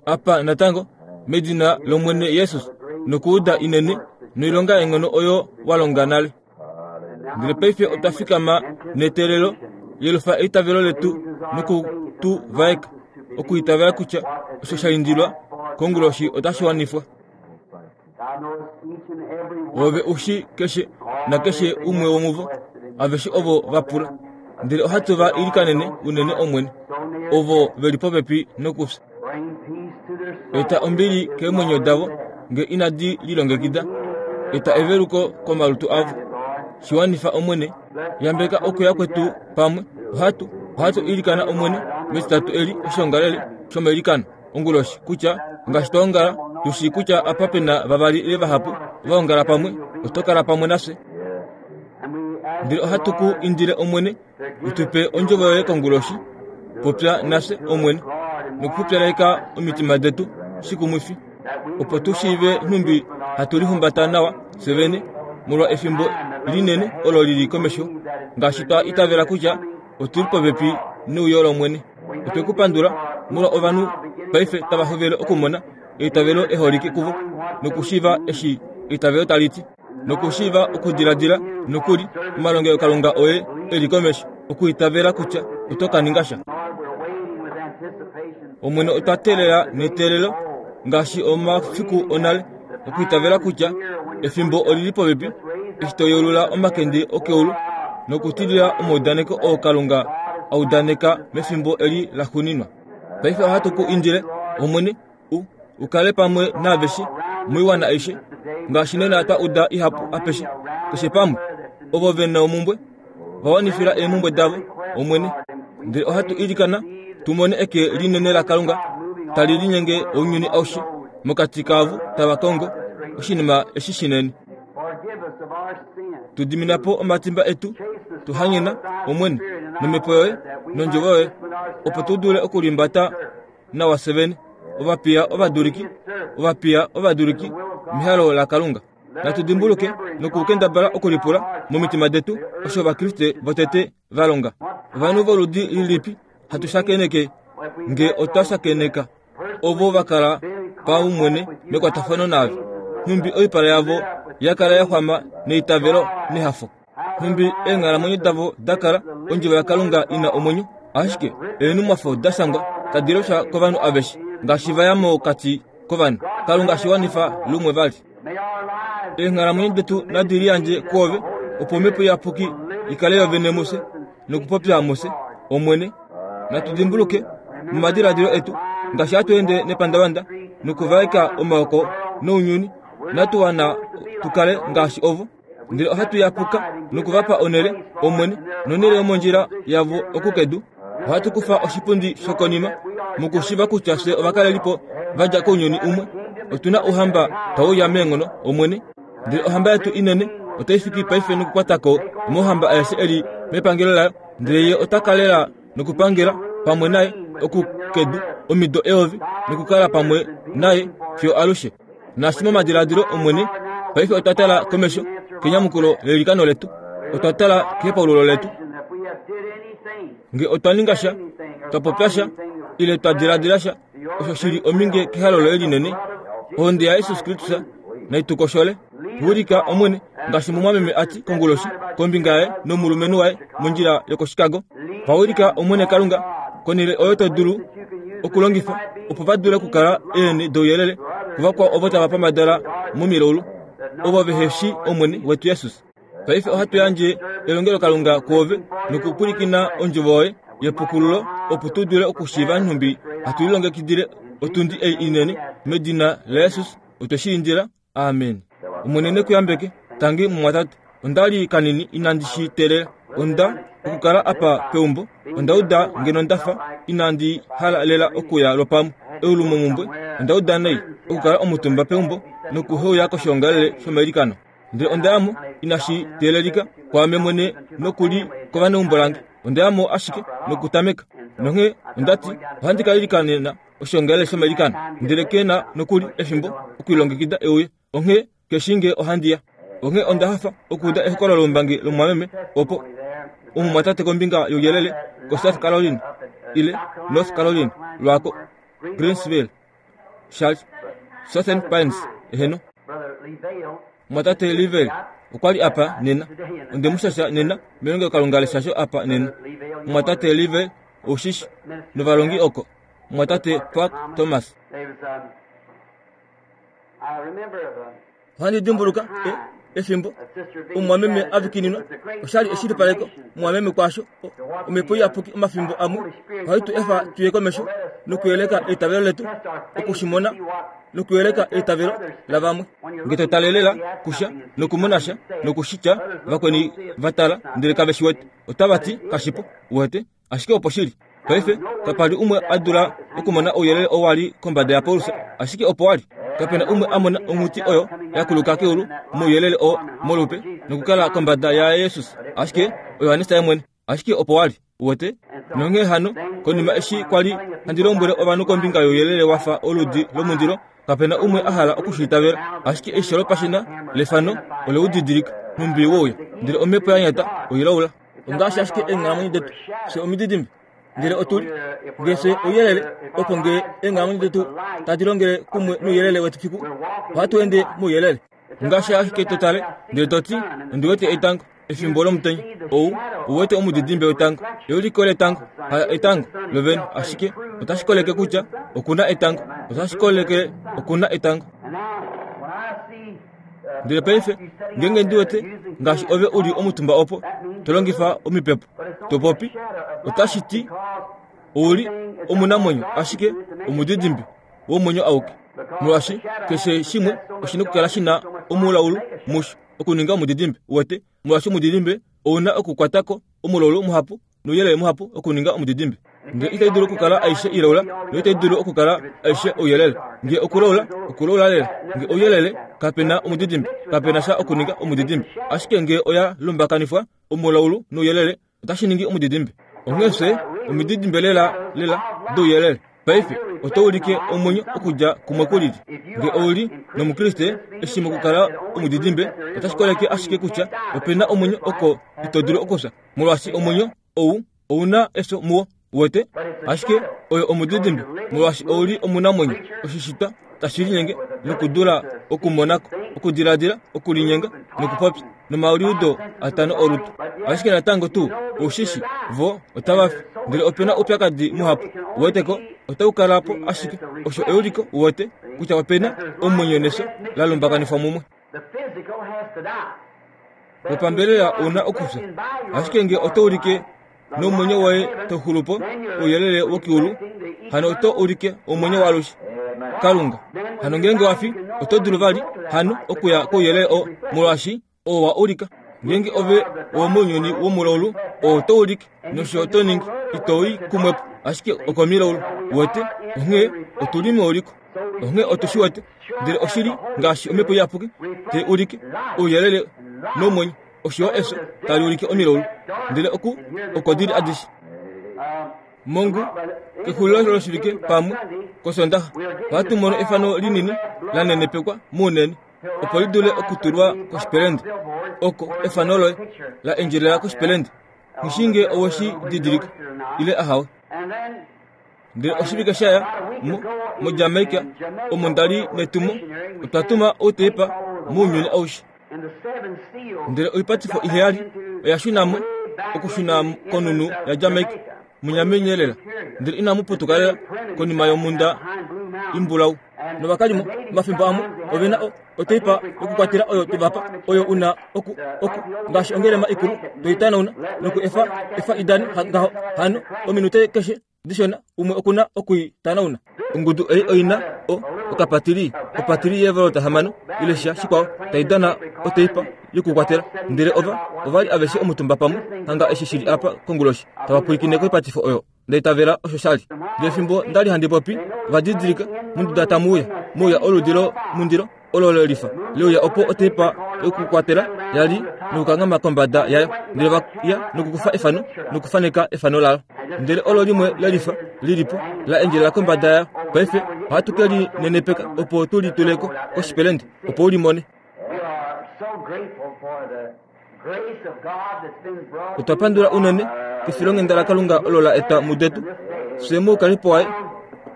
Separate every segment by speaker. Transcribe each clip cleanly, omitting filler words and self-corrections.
Speaker 1: Apa natango, medina lOmwene Jesus, nokuuda inene noilonga yeenghono oyo wa longa nale. Ndele paife otwa fikama neteelelo, yelufa eitavelo letu noku tu vaeka, okuitavela kutya osho sha indilwa konguloshi otashi wanifwa. Ove u shi keshe nakeshe umwe womuvo, aveshe ovo va pula. Ndele ohatu va ilikanene unene Omwene, ovo ve li popepi nokufya. Eta ombili keemwenyo davo nge inadi lilongekida. Eta eveluko komalutu avo. Shi wanifa Omwene. Yambeka okuya kwetu pamwe. Ohatu, ohatu ilikana Omwene metitatu eli oshiongalele shomailikano. onguloshi kutya ngaashi twa ongala tu shii kutya apa pe na vavali ile vahapu va ongala pamwe, oto kala pamwe nafye. Ndele ohatu ku indile Omwene u tu pe ondjovo yoye konguloshi. Popya nafye Omwene nokupupyaleka omitima detu shikumwifi, opo tu shiive nhumbi hatu lihumbata nawa fye vene molwa efimbo linene olo lili komesho, ngaashi twa itavela kutya otu li popepi neuyo lOmwene. Otwe ku pandula molwa ovanhu paife tava hovele okumona eitavelo eholike kuvo nokushiiva eshi eitavelo tali ti, nokushiiva okudiladila nokuli omalongelokalunga oye e li komesho, okuitavela kutya oto ka ninga sha. Omwene, otwa teelela neteelelo ngaashi omafiku onale, okuitavela kutya efimbo oli li popepi eshi to yeulula omakende okeulu nokutilila omaudaneko oo Kalunga a udaneka mefimbo eli laxuuninwa. Paife ohatu ku indile, Omwene, u, u kale pamwe naaveshe moiwana aishe, ngaashi nena twa uda ihapu apeshe, keshe pamwe, ovo ve na omumbwe, va wanifila eemhumbwe davo, Omwene. Ndele ohatu ilikana tu mone eke linene laKalunga tali linyenge ounyuni aushe mokati kaavo tava kongo oshinima eshi shinene. Tu dimina po omatimba etu, tu hanyena, Omwene, nomhepo yoye nondjovo yoye, opo tu dule okulimbata nawa fye vene, ovapiya ovaduliki, ovapiya ovaduliki mehalo laKalunga. Natu dimbuluke nokukendabala okulipula momitima detu osho Ovakriste votete va longa. Ovanhu voludi lilipi hatu shakeneke nge otwa shakeneka ovo va kala paumwene mekwatafano naave? Nhumbi oipala yavo ya kala ya xwama neitavelo nehafo. Nhumbi eenghalamwenyo davo da kala ondjovo yaKalunga i na omwenyo, ashike eenhumwafo da shangwa tadi leshwa kovanhu aveshe ngaashi va ya mokati kovanhu. Kalunga shi wanifa lumwe vali. Eenghalamwenyo detu nadi liyandje kwoove, opo Omhepo Iyapuki i kale yovene mufye nokupopya mufye, Omwene. Natu dimbuluke momadiladilo etu ngaashi hatu ende nepandavanda nokuvaeka omaoko nounyuni, natu wana tu kale ngaashi ovo. Ndele ohatu yapuka noku va pa onhele, Omwene, nonhele yomondjila yavo oku kedu. Ohatu kufa oshipundi shokonima mokushiva kutya fye ovakalelipo va dja kounyuni umwe. Otu na ouhamba tau uya meenghono, Omwene. Ndele ohamba yetu inene otai fiki paife nokukwata ko omauhamba aeshe e li mepangelo layo, ndele ye ota ka lela nokupangela pamwe naye oku kedu omido eyovi nokukala pamwe naye fiyo alushe. Naashi momadiladilo Omwene, paife otwa tala komesho kenyamukulo leilikano letu. Otwa tala kehepaululo letu. Nge otwa ninga sha, twa popya sha, ile twa diladila sha, osho shi li ominge kehalo loye linene, ohonde yaJesus Kristus nai tu koshole. Wilika, Omwene, ngaashi mumwameme a ti konguloshi kombinga yaye nomulumenhu waye mondjila yokoChicago. Va wilika, Omwene Kalunga, konhele oyo to dulu okulongifa opo va dule okukala eenhe douyelele kuvakwao ovo tava pambadala momilaulu, ovo vehe shii Omwene wetu Jesus. Paife ohatu yandje elongelokalunga kwoove nokupwilikina ondjovo yoye yepukululo opo tu dule okushiiva nhumbi hatu lilongekidile otundi ei inene medina laJesus otwe shi indila. Amen. Omwene ne ku yambeke. Tangi, mumwatate. Onda li kanini inandi shi teelela. Onda, okukala apa peumbo, onda uda ngeno nda fa inandi hala lela okuya lwopamwe. Eulumomumbwe, onda uda nai okukala omutumba peumbo nokuheuya koshoongalele shomailikano. Ndele onda ya mo, inashi teelelika kwaame mwene noku li kovaneumbo lange. Onda ya mo ashike nokutameka. Nonghee onda ti, Ohandi ka ilikanena oshoongalele shomailikano, ndele ke na nokuli efimbo okulilongekida e uye. Onghee ke shii ngee ohandi ya. Onghee onda hafa okuuda ehokololo loumbangi lomumwameme opo omumwatate kombinga youyelele koSouth Carolina ile North Carolina lwaako Greensville, Charles, Southern Pines, eheno. Mumwatate Livell okwa li apa nena. Onde mu shasha nena melongelokalunga leshasho apa nena. Mumwatate Livell, ou shi shi, novalongi oko. Mumwatate Park Thomas. Ohandi dimbuluka e, efimbo omumwameme a vikininwa. Osha li eshilipaleko mumwameme kwaasho. Omhepo Iyapuki omafimbo amwe ohai tu efa tu ye komesho nokuyeleka eitavelo letu, oku shi mona nokuyeleka eitavelo lavamwe. Nge to tale lela kusha nokumona sha noku shi tya, vakweni va tala ndele kave shi wete, otava ti kashipo. Uwete? Ashike opo shi li. Paife, kapa li umwe a dula okumona ouyelele oo wa li kombada yaPaulus, ashike opo wa li. Kape na umwe a mona onghuti oyo ya kuluka keulu mouyelele oo molupe nokukala kombada yaJesus, ashike oJohannes ye mwene. Ashike opo wa li. Uwete? Nonghee hano, konima eshi kwa li handi lombwele ovanhu kombinga youyelele wa fa oludi lomundilo, kape na umwe a hala oku shi itavela. Ashike eisho lopashina lefano ole u didilika, nhumbi we uya, ndele omhepo ya nyata oilaula. Ongaashi ashike eenghalamwenyo detu, fye omididimbe, ndele otu li nge fye ouyelele, opo nge eenghalamwenyo detu tadi longele kumwe nouyelele wetu fiku, ohatu ende mouyelele. Ongaashi ashike to tale ndele to ti, Ondi wete etango efimbo lomutenya. Ou ou wete omudidimbe wetango, euliko letango, ha etango lovene, ashike otashi koleke kutya oku na etango, otashi koleke oku na etango. Ndele paife, ngeenge ndi wete ngaashi ove u li omutumba opo, to longifa omipepo, to popi, otashi ti ou li omunamwenyo, ashike omudidimbe womwenyo auke. Molwaashi keshe shimwe oshi na okukala shi na omulaulu musho okuninga omudidimbe, uwete, molwaashi omudidimbe ou na okukwata ko omulaulu muhapu nouyelele muhapu okuninga omudidimbe. Nge itai dulu okukala aishe ilaula, noitai dulu okukala aishe ouyelele. Nge okulaula, okulaula lela. Nge ouyelele, kape na omudidimbe, kape na sha okuninga omudidimbe. Ashike nge oya lumbakanifwa, omulaulu nouyelele, otashi ningi omudidimbe. Onghee fye omididimbe lela lela douyelele. Paife oto ulike omwenyo okudja kumwe ku lili. Nge ou li nOmukriste, eshi mokukala omudidimbe, otashi koleke ashike kutya ope na omwenyo oko ito dulu okufya, molwaashi omwenyo ou ou na efyo muwo. Uwete? Ashike oyo omudidimbe, molwaashi ou li omunamwenyo, oshishitwa tashi linyenge nokudula okumona ko, okudiladila, okulinyenga nokupopya, nomaliudo atano olutu. Ashike natango tuu, ou shi shi, vo otava fi. Ndele ope na oupyakadi muhapu, uwete ko, otau kala po ashike. Osho euliko, uwete, kutya ope na omwenyo nefyo la lumbakanifwa mumwe. Wopambelela ou na okufya. Ashike nge oto ulike nomwenyo woye to xulu po ouyelele wokeulu, hano oto ulike omwenyo waalushe. Kalunga. Hano ngeenge wa fi, oto dulu vali hano okuya kouyelele oo, molwaashi oo wa ulika. Ngeenge ove owomounyuni womulaulu, oo oto ulike nosho oto ningi, ito i kumwe po, ashike okomilaulu. Uwete? Onghee otu li meuliko. Onghee otu shi wete, ndele oshi li ngaashi Omhepo Iyapuki tai ulike ouyelele nomwenyo, osho yo efyo tali ulike omilaulu, ndele oku oko di li adishe. Mongu, kexulilo loshivike pamwe, kOsondaxa, ohatu mono efano linini la nenepekwa mounene, opo li dule okutulwa koshipelende, oko efano loye la endjelela koshipelende. Nghi shii ngee owe shi didilika, ile ahawe. Ndele oshivike sha ya mo, moJamaica, omo nda li netumo, otwa tuma outeipa mounyuni aushe. Ndele oipatifo iheyali oya shuna mo, okushuna konhunhu yaJamaica, munyamenye lela, ndele inamu putuka lela konima yomhunda imbulau. Novakalimo, omafimbo amwe, ove na o, oteipa yokukwatela oyo twe va pa, oyo u na oku, oku, ngaashi ongelema ikulu, to i tanauna noku efa, efa i dane ngaho. Hano, ominute keshe dishona, umwe oku na oku i tanauna. Ongudu ei oi na o, okapatili, opatili yeevolota hamano, ile sha shikwao, tai dana oteipa yokukwatela. Ndele ova, ova li aveshe omutumba pamwe, hanga eshi shi li apa konguloshi, tava pwilikine koipatifo oyo. Nda itavela osho sha li. Ndele fimbo nda li handi popi, ova didilika monduda tamu uya, muuya oludi lomundilo olo le lifa le uya opo oteipa yokukwatela ya li nokukanghama kombada yayo. Ndele va ya nokukufa efano nokufaneka efano layo. Ndele olo limwe le lifa li li po la endjelela kombada yayo. Paife ohatu ke li nenepeka opo tu li tule ko koshipelende opo u li mone. Otwa pandula unene kefilonghenda laKalunga olo la etwa mudetu fye moukalipo waye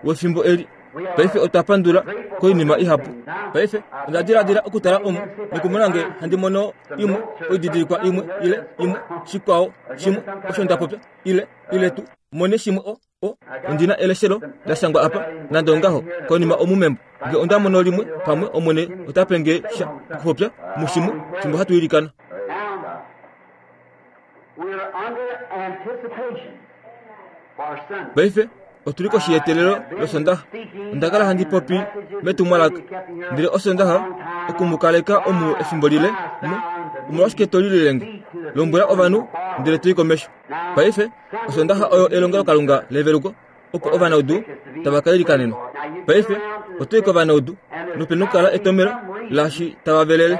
Speaker 1: wefimbo eli. Paife otwa pandula koinima ihapu. Paife onda diladila okutala omu nokumona nge handi mono imwe oididilikwa imwe ile imwe shikwao shimwe osho nda popya ile ile tu mone shimwe o o ondi na eleshelo la shangwa apa nande ongaho konima omu membo nge onda mono limwe pamwe Omwene ota pe nge sha okupopya mushimwe fimbo hatu ilikana. Paife otu li koshi yeteelelo lOsondaxa. Onda kala handi popi metumwalaka, ndele Osondaxa oku mu kaleka omu efimbo lile mu. Omolwashike to lilile nge? Lombwela ovanhu ndele to i komesho. Paife, Osondaxa oyo elongelokalunga leveluko opo ovanaudu tava ka ilikanenwa. Paife, oto i kovanaudu nope nokukala etomelo laashi tava velele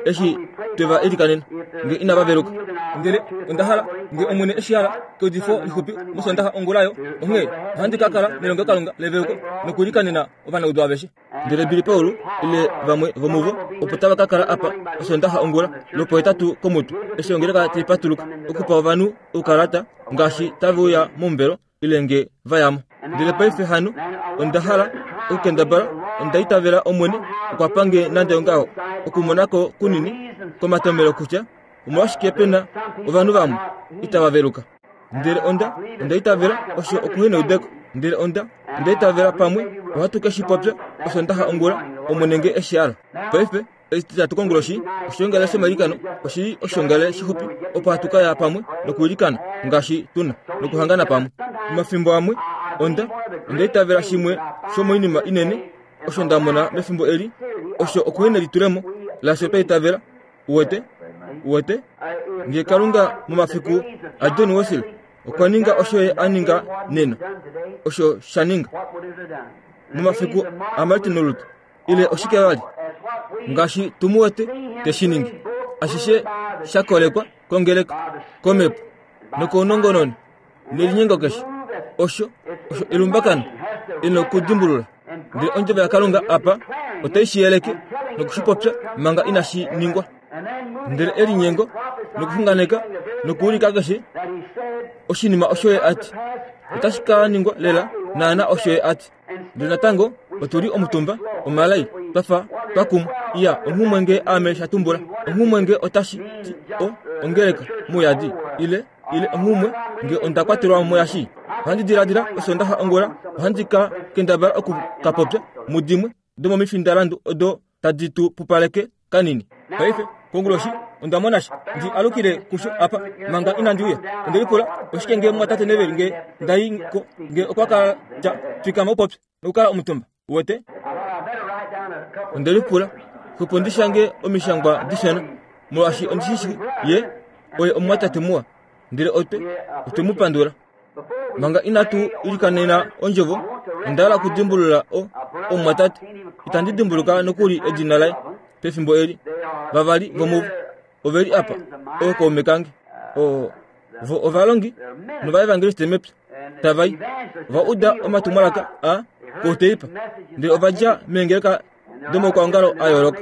Speaker 1: eshi twe va ilikanena nge inava veluka. Ndele onda hala nge Omwene eshi hala keudifo lixupi mOsondaxa ongula yo, onghee ohandi ka kala nelongelokalunga leveluko nokuilikanena ovanaudu aveshe. Ndele Billy Paul ile vamwe vomuvo opo tava ka kala apa Osondaxa ongula lwopohetatu komutu eshi ongeleka tai patuluka okupa ovanhu oukalata ngaashi tave uya momuvelo ile nge va ya mo. Ndele paife hano onda hala okukendabala, onda itavela Omwene okwa pa nge nande ongaho okumona ko kunini komatomelo kutya omolwashike pe na ovanhu vamwe itava veluka. Ndele onda, onda itavela osho okuheneudeko. Ndele onda, onda itavela pamwe ohatu ke shi popya Osondaxa ongula, Omwene nge e shi hala. Paife, Etitatu konguloshi, oshoongale shomailikano oshi li oshoongale shixupi opo hatu ka ya pamwe nokwiilikana ngaashi tu na nokuhangana pamwe. Omafimbo amwe onda onda itavela shimwe shomoinima inene osho nda mona mefimbo eli osho okuhenelitulemo laasho twa itavela. Uwete? Uwete? Nge Kalunga momafiku aJohn Wesley okwa ninga osho ye a ninga nena, osho sha ninga momafiku aMartin Luther, ile oshike vali ngaashi tu mu wete te shi ningi ashishe sha kolekwa kongeleka komhepo nokounongononi nelinyengo keshe osho osho elumbakano e nokudimbulula ndele ondjovo yakalunga apa otai shi yeleke noku shi popya manga inashi ningwa ndele elinyengo nokuxunganeka nokuulika keshe oshinima osho ye a ti otashi ka ningwa lela naana osho ye a ti Ndele natango otu li omutumba omalai twa fa twa kumwa. Iya, onghumwe nge ame sha tumbula, onghumwe nge otashi ti o, ongeleka mouyadi, ile, ile onghumwe nge onda kwatelwa mo muyashi. Ohandi diladila Osondaxa ongula ohandi ka kendabala oku ka popya mudimwe domomifindalandu odo tadi tu pupaleke kanini. Paife, konguloshi, onda mona sha. Ndi alukile kusho apa, manga inandi uya. Onde lipula, oshike nge mumwatate Neville nge nda i ko, nge okwa kala tya, Fikama u popye, nokukala omutumba. Uwete? Onde lipula, Xwepo ndi shange omishangwa dishona, molwaashi ondi shi shii ye oye omumwatate muwa. Ndele otwe, otwe mu pandula. Manga inatu ilikanena ondjovo, onda hala okudimbulula o, omumwatate. Itandi dimbuluka nokuli edina laye pefimbo eli. Vavali vomuvo ove li apa, ookaume kange. O, vo ovalongi novaevangeliste mepya tava i. Ova uda omatumwalaka a kouteipa, ndele ova dja meengeleka domaukwaongalo a yooloka.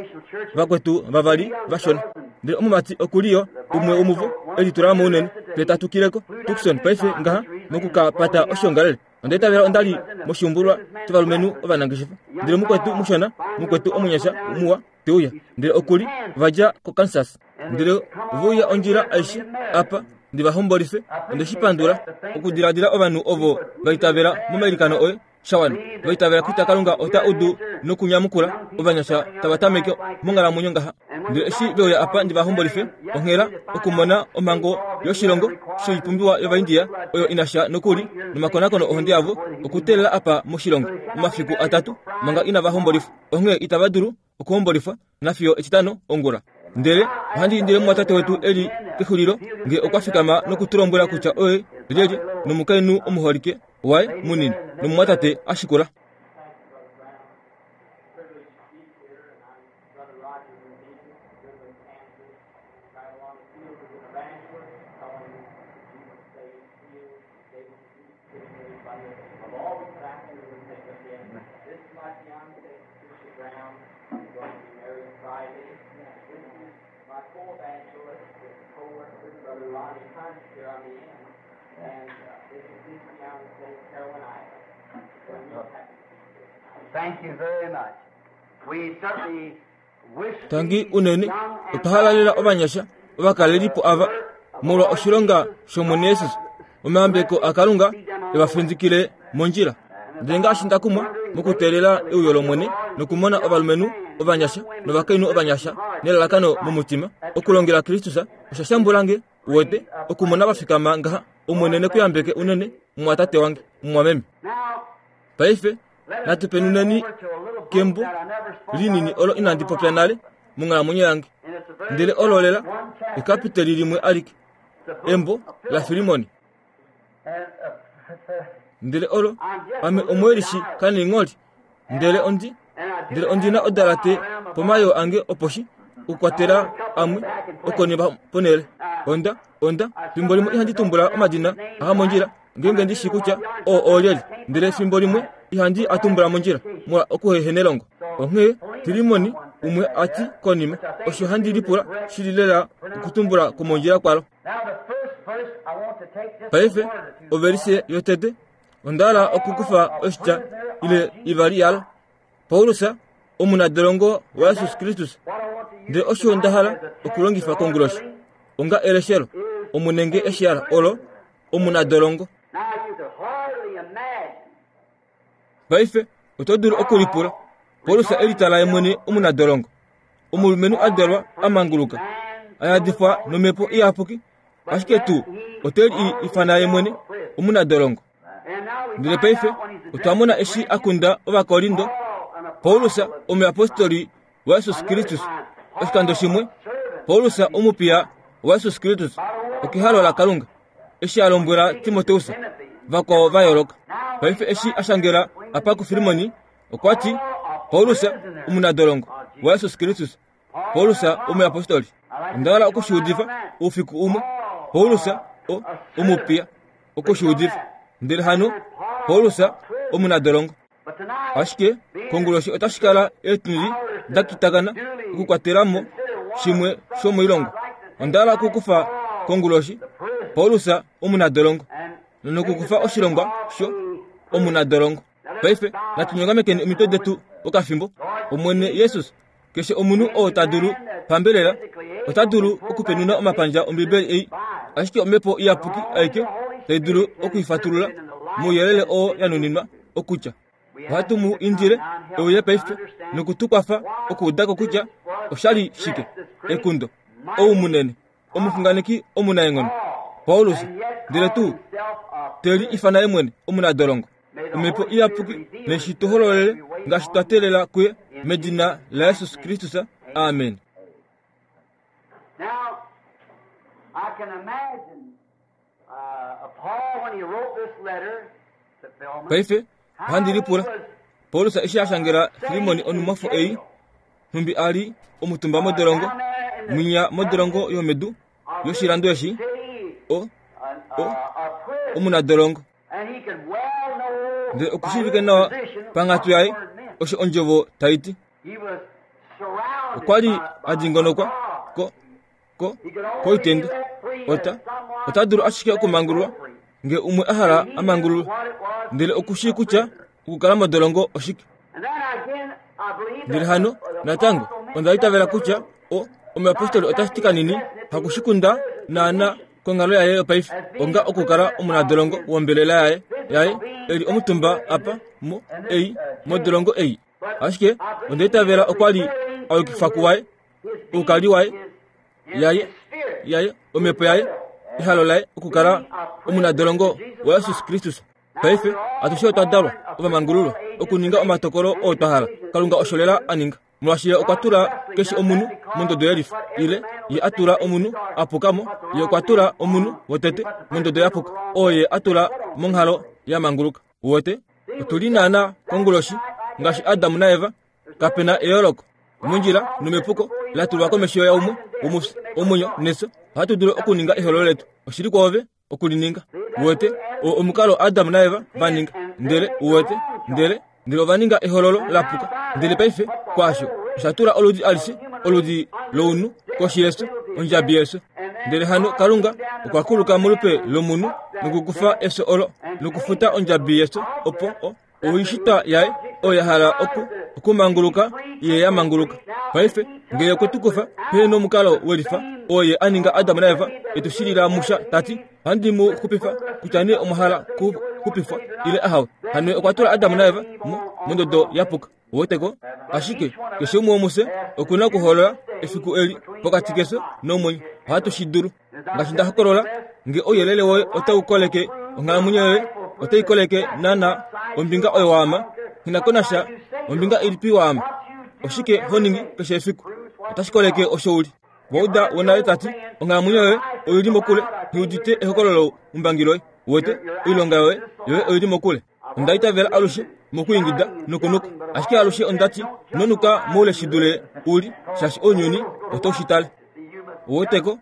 Speaker 1: Vakwetu vavali vashona. Ndele omumati oku li yo umwe womuvo e litula mo unene, ndele ta tukile ko Tucson paife ngaha moku ka pata oshoongalele. Onda itavela onda li moshiumbulwa shovalumenhu ovanangeshefa. Ndele mukwetu mushona, mukwetu omunyasha muwa, te uya. Ndele oku li, va dja koKansas. Ndele ove uya ondjila aishe apa ndi va hombolife. Onde shi pandula okudiladila ovanhu ovo va itavela momailikano oye. sha wana. Va itavela kutya Kalunga ota udu nokunyamukula ovanyasha tava tameke monghalamwenyo ngaha. Ndele eshi ve uya apa ndi va hombolife onghela okumona omhango yoshilongo shoipumbiwa yOvaindia oyo ina sha nokuli nomakonakono ohonde yavo okuteelela apa moshilongo omafiku atatu manga inava hombolifwa. Onghee itava dulu okuhombolifwa nafiyo Etitano ongula. Ndele ohandi indile mumwatate wetu e li kexulilo nge okwa fikama noku tu lombwela kutya oye lyelye nomukainhu omuholike waye munini nomumwatate a shikula.
Speaker 2: going to be married Friday. This is my co-evangelist with co-worker, Brother Ronnie Hunt here on the end. And this is East County, St. Carolina. So we're happy to be here.
Speaker 3: Thank you very much. We certainly wish
Speaker 1: Tangi
Speaker 3: these
Speaker 1: unene
Speaker 3: young
Speaker 1: otwa halalela ovanyasha ovakalelipo ava molwa oshilonga shOmwene Jesus. Omayambeko aKalunga evafindikile mondjila. Ndele ngaashi nda kumwa mokuteelela euyo lOmwene nokumona ovalumenhu ovanyasha novakainhu ovanyasha nelalakano momutima okulongela Kristus, osha shambula nge uwete okumona va fikama ngaha. Omwene ne ku yambeke unene, mumwatate wange, mumwameme.
Speaker 3: Now,
Speaker 1: Paife
Speaker 3: let us
Speaker 1: natu
Speaker 3: turn
Speaker 1: penuneni
Speaker 3: over to a little book
Speaker 1: kembo
Speaker 3: that I never spoke
Speaker 1: linini
Speaker 3: of
Speaker 1: olo
Speaker 3: in
Speaker 1: inandi
Speaker 3: my
Speaker 1: popya
Speaker 3: life.
Speaker 1: nale monghalamwenyo yange.
Speaker 3: And it's a very
Speaker 1: Ndele olo lela
Speaker 3: one chapter,
Speaker 1: ekapiteli limwe alike,
Speaker 3: the book
Speaker 1: embo
Speaker 3: of
Speaker 1: la
Speaker 3: Philip.
Speaker 1: Filimoni.
Speaker 3: And,
Speaker 1: Ndele olo
Speaker 3: I'm just a
Speaker 1: ame
Speaker 3: little
Speaker 1: omwelishi
Speaker 3: bit
Speaker 1: kaniingholi, ndele ondi
Speaker 3: And I do
Speaker 1: ndele ondina
Speaker 3: have a
Speaker 1: odalate
Speaker 3: file around my
Speaker 1: pomayoo ange oposhi okukwatela amwe okonima ponele. Onda onda fimbo limwe ihandi tumbula omadina aha mondjila ngeenge ndi shi kutya oo oolyelye, ndele fimbo limwe ihandi a tumbula mondjila molwa okuhehenelongo. Onghee Filimoni umwe a ti konima, osho handi lipula shili lela okutumbula kwomondjila kwalo.
Speaker 3: Now the first verse I want to take just a
Speaker 1: Paife
Speaker 3: word or two
Speaker 1: ovelise yotete onda hala okukufa oshitya ile ivali yalo. Paulus omunadolongo waJesus Kristus.
Speaker 3: What I want to use
Speaker 1: Ndele osho nda hala
Speaker 3: tonight as a text,
Speaker 1: okulongifa
Speaker 3: the Lord
Speaker 1: konguloshi
Speaker 3: willing,
Speaker 1: onga eleshelo omunenge eshiala olo omunadolongo.
Speaker 3: Now you could hardly imagine
Speaker 1: Paife oto dulu okulipula Paulus elitala ye mwene omunadolongo, omulumenhu a dalwa a manguluka, a yadifwa nomhepo iyapuki, ashike tuu ote li ifana ye mwene omunadolongo.
Speaker 3: And now we
Speaker 1: Ndele
Speaker 3: find
Speaker 1: paife
Speaker 3: out when he's
Speaker 1: otwa mona eshi a kunda Ovakorinto,
Speaker 3: Paul, an
Speaker 1: Paulus
Speaker 3: apostle of
Speaker 1: omuyapostoli waJesus Kristus. Oshikando shimwe Paulus omupiya waJesus Kristus okehalo laKalunga eshi a lombwela Timoteus vakwao va yooloka. Paife eshi a shangela apa kuFilimoni okwa ti Paulus omunadolongo waJesus Kristus, Paulus omuyapostoli. Onda hala okushiudifa oufiku umwe. Paulus o omupiya okushiudifa, ndele hano Paulus omunadolongo.
Speaker 3: But tonight,
Speaker 1: Ashike konguloshi otashi kala eetundi da kitakana okukwatela mo shimwe shomoilongo. Onda hala okukufa konguloshi Paulus omunadolongo
Speaker 3: and
Speaker 1: nokukufa oshilongwa sho omunadolongo. Paife natu nyongamekeni omitwe detu okafimbo. Omwene Jesus, keshe omunhu oo ta dulu pambelela ota dulu okupenuna omapandja Ombibeli ei, ashike omhepo iyapuki aike tai dulu okuifatulula mouyelele oo ya nuninwa okutya. Ohatu mu indile euye paife noku tu kwafa okuudako kutya oshali shike ekundo ou munene omuxunganeki omunaenghono Paulus, ndele tuu te li ifana ye mwene omunadolongo. Omhepo iyapuki neshi tu hololele ngaashi twa teelela kuye medina laJesus Kristus. Amen.
Speaker 3: Now, I can imagine Paul when he wrote this letter to Philemon,
Speaker 1: Paife
Speaker 3: how
Speaker 1: ohandi
Speaker 3: he
Speaker 1: lipula
Speaker 3: was
Speaker 1: Paulus eshi a shangela Filimoni onumwafo ei, nhumbi a li omutumba modolongo,
Speaker 3: down there in the
Speaker 1: mwinya modolongo yomedu yoshilando eshi,
Speaker 3: city,
Speaker 1: o o
Speaker 3: a prison,
Speaker 1: omunadolongo.
Speaker 3: and he could well know
Speaker 1: Ndele
Speaker 3: by
Speaker 1: okushiivike
Speaker 3: his
Speaker 1: nawa
Speaker 3: position
Speaker 1: panghatu
Speaker 3: what the
Speaker 1: yaye
Speaker 3: word meant.
Speaker 1: osho ondjovo tai ti.
Speaker 3: He was surrounded
Speaker 1: Okwa li
Speaker 3: by,
Speaker 1: a
Speaker 3: by
Speaker 1: dingonokwa
Speaker 3: guards.
Speaker 1: ko ko
Speaker 3: He could only be
Speaker 1: koitenda
Speaker 3: let free as
Speaker 1: ota
Speaker 3: someone
Speaker 1: ota dulu ashike
Speaker 3: set
Speaker 1: okumangululwa
Speaker 3: free.
Speaker 1: nge umwe a hala
Speaker 3: And he
Speaker 1: a
Speaker 3: knew
Speaker 1: mangululwe,
Speaker 3: what it was to
Speaker 1: ndele
Speaker 3: be
Speaker 1: okushii
Speaker 3: a
Speaker 1: kutya
Speaker 3: prisoner.
Speaker 1: okukala modolongo oshike.
Speaker 3: And then again, I believe
Speaker 1: Ndele
Speaker 3: that
Speaker 1: hano
Speaker 3: the
Speaker 1: natango
Speaker 3: apostle meant
Speaker 1: onda
Speaker 3: just
Speaker 1: itavela
Speaker 3: a
Speaker 1: kutya
Speaker 3: little,
Speaker 1: o omuyapostoli
Speaker 3: not
Speaker 1: otashi ti
Speaker 3: exactly
Speaker 1: kanini
Speaker 3: addressing it to his
Speaker 1: hakushikunda
Speaker 3: prison
Speaker 1: naana
Speaker 3: condition
Speaker 1: konghalo yaye yopaife
Speaker 3: as being
Speaker 1: onga
Speaker 3: a
Speaker 1: okukala
Speaker 3: prisoner of
Speaker 1: omunadolongo
Speaker 3: his
Speaker 1: wombelela yaye yaye
Speaker 3: physical being
Speaker 1: eli
Speaker 3: set
Speaker 1: omutumba
Speaker 3: here in
Speaker 1: apa
Speaker 3: this
Speaker 1: mo
Speaker 3: in this
Speaker 1: ei
Speaker 3: jail.
Speaker 1: modolongo ei.
Speaker 3: But
Speaker 1: Ashike
Speaker 3: I
Speaker 1: onda
Speaker 3: believe he
Speaker 1: itavela
Speaker 3: was
Speaker 1: okwa li
Speaker 3: referring
Speaker 1: a
Speaker 3: to
Speaker 1: yukifa
Speaker 3: his
Speaker 1: kuwaye
Speaker 3: his being,
Speaker 1: oukali waye
Speaker 3: his
Speaker 1: yaye
Speaker 3: his spirit,
Speaker 1: yaye
Speaker 3: his
Speaker 1: omhepo yaye
Speaker 3: will,
Speaker 1: ehalo laye okukala
Speaker 3: being a prisoner
Speaker 1: omunadolongo
Speaker 3: to Jesus
Speaker 1: waJesus
Speaker 3: Christ.
Speaker 1: Kristus.
Speaker 3: Now
Speaker 1: Paife
Speaker 3: we're all
Speaker 1: atushe otwa dalwa
Speaker 3: born of
Speaker 1: ovamangululwa
Speaker 3: all ages
Speaker 1: okuninga
Speaker 3: to make
Speaker 1: omatokolo
Speaker 3: any
Speaker 1: oo twa hala.
Speaker 3: decisions that
Speaker 1: Kalunga
Speaker 3: we
Speaker 1: osho lela
Speaker 3: choose.
Speaker 1: a ninga molwaashi ye okwa
Speaker 3: God
Speaker 1: tula
Speaker 3: justly
Speaker 1: keshe
Speaker 3: done that
Speaker 1: omunhu
Speaker 3: because
Speaker 1: mondodo
Speaker 3: that's
Speaker 1: yelifa
Speaker 3: what every
Speaker 1: ile
Speaker 3: man
Speaker 1: ye
Speaker 3: will
Speaker 1: a
Speaker 3: think
Speaker 1: tula
Speaker 3: they
Speaker 1: omunhu
Speaker 3: start.
Speaker 1: a puka mo
Speaker 3: He put the
Speaker 1: ye
Speaker 3: wrong
Speaker 1: okwa tula
Speaker 3: man
Speaker 1: omunhu
Speaker 3: on. He
Speaker 1: wotete
Speaker 3: put the first
Speaker 1: mondodo
Speaker 3: man
Speaker 1: ya
Speaker 3: on the
Speaker 1: puka
Speaker 3: wrong
Speaker 1: oo
Speaker 3: place.
Speaker 1: ye a tula
Speaker 3: Put on
Speaker 1: monghalo
Speaker 3: previously.
Speaker 1: ya manguluka. Uwete
Speaker 3: See,
Speaker 1: otu
Speaker 3: we
Speaker 1: li
Speaker 3: just
Speaker 1: naana
Speaker 3: that's
Speaker 1: konguloshi
Speaker 3: tonight like
Speaker 1: ngaashi
Speaker 3: Adam
Speaker 1: Adamu naEva
Speaker 3: There's no
Speaker 1: kape na
Speaker 3: difference.
Speaker 1: eyooloko
Speaker 3: We're all
Speaker 1: mondjila
Speaker 3: crossed this
Speaker 1: nomepuko
Speaker 3: before either
Speaker 1: la
Speaker 3: one
Speaker 1: tulwa
Speaker 3: of us.
Speaker 1: komesho yaumwe
Speaker 3: Life and death, we
Speaker 1: womufya
Speaker 3: can make a
Speaker 1: omwenyo
Speaker 3: choice.
Speaker 1: nefyo ohatu dulu
Speaker 3: It's up to
Speaker 1: okuninga
Speaker 3: you to
Speaker 1: ehololo
Speaker 3: make
Speaker 1: letu
Speaker 3: it.
Speaker 1: oshili kwoove okulininga.
Speaker 3: See, that's
Speaker 1: Uwete
Speaker 3: where Adam
Speaker 1: o
Speaker 3: and
Speaker 1: omukalo
Speaker 3: Eve
Speaker 1: Adamu naEva va
Speaker 3: sinned,
Speaker 1: ninga
Speaker 3: and they
Speaker 1: ndele
Speaker 3: made the
Speaker 1: uwete
Speaker 3: wrong
Speaker 1: ndele
Speaker 3: choice.
Speaker 1: ndele ova ninga ehololo
Speaker 3: And
Speaker 1: la
Speaker 3: now
Speaker 1: puka
Speaker 3: by
Speaker 1: ndele
Speaker 3: that,
Speaker 1: paife
Speaker 3: put the
Speaker 1: kwaasho
Speaker 3: whole
Speaker 1: Osha tula oludi alishe, oludi lounhu, koshi yefyo, ondjabi yefyo. Ndele hano Kalunga okwa kuluka molupe lomunhu nokukufa efyo olo nokufuta ondjabi yefyo opo o, oishitwa yaye oyo ya hala oku okumanguluka ye ya manguluka. Paife ngee okwe tu kufa pehe nomukalo welifa oo ye a ninga Adam naEva e tu shilila musha ta ti, Ohandi mu xupifa kutya nee omwa hala ku xupifwa ile ahawe. Hano okwa tula Adam naEva mo mondodo ya puka. Uweteko? Ashike keshe umwe womufye oku na okuhoolola efiku eli pokati kefyo nomwenyo. Ohatu shi dulu. Ngaashi nda hokolola, nge ouyelele woye otau koleke onghalamwenyo yoye, otai koleke naana ombinga oyo waama. Nghi na ko nasha ombinga ilipi waama. Oshike ho ningi keshe efiku? Otashi koleke osho u li. Wauda wonale ta ti, Onghalamwenyo yoye oi li mokule, nghi udite ehokololo umbangi loye. Uwete, oilonga yoye, yoye oi li mokule. Onda itavela alushe mokuingida nokunuka, ashike alushe onda ti, Ino nuka moule shi dule u li, shaashi ounyuni otau shi tale. Uweteko,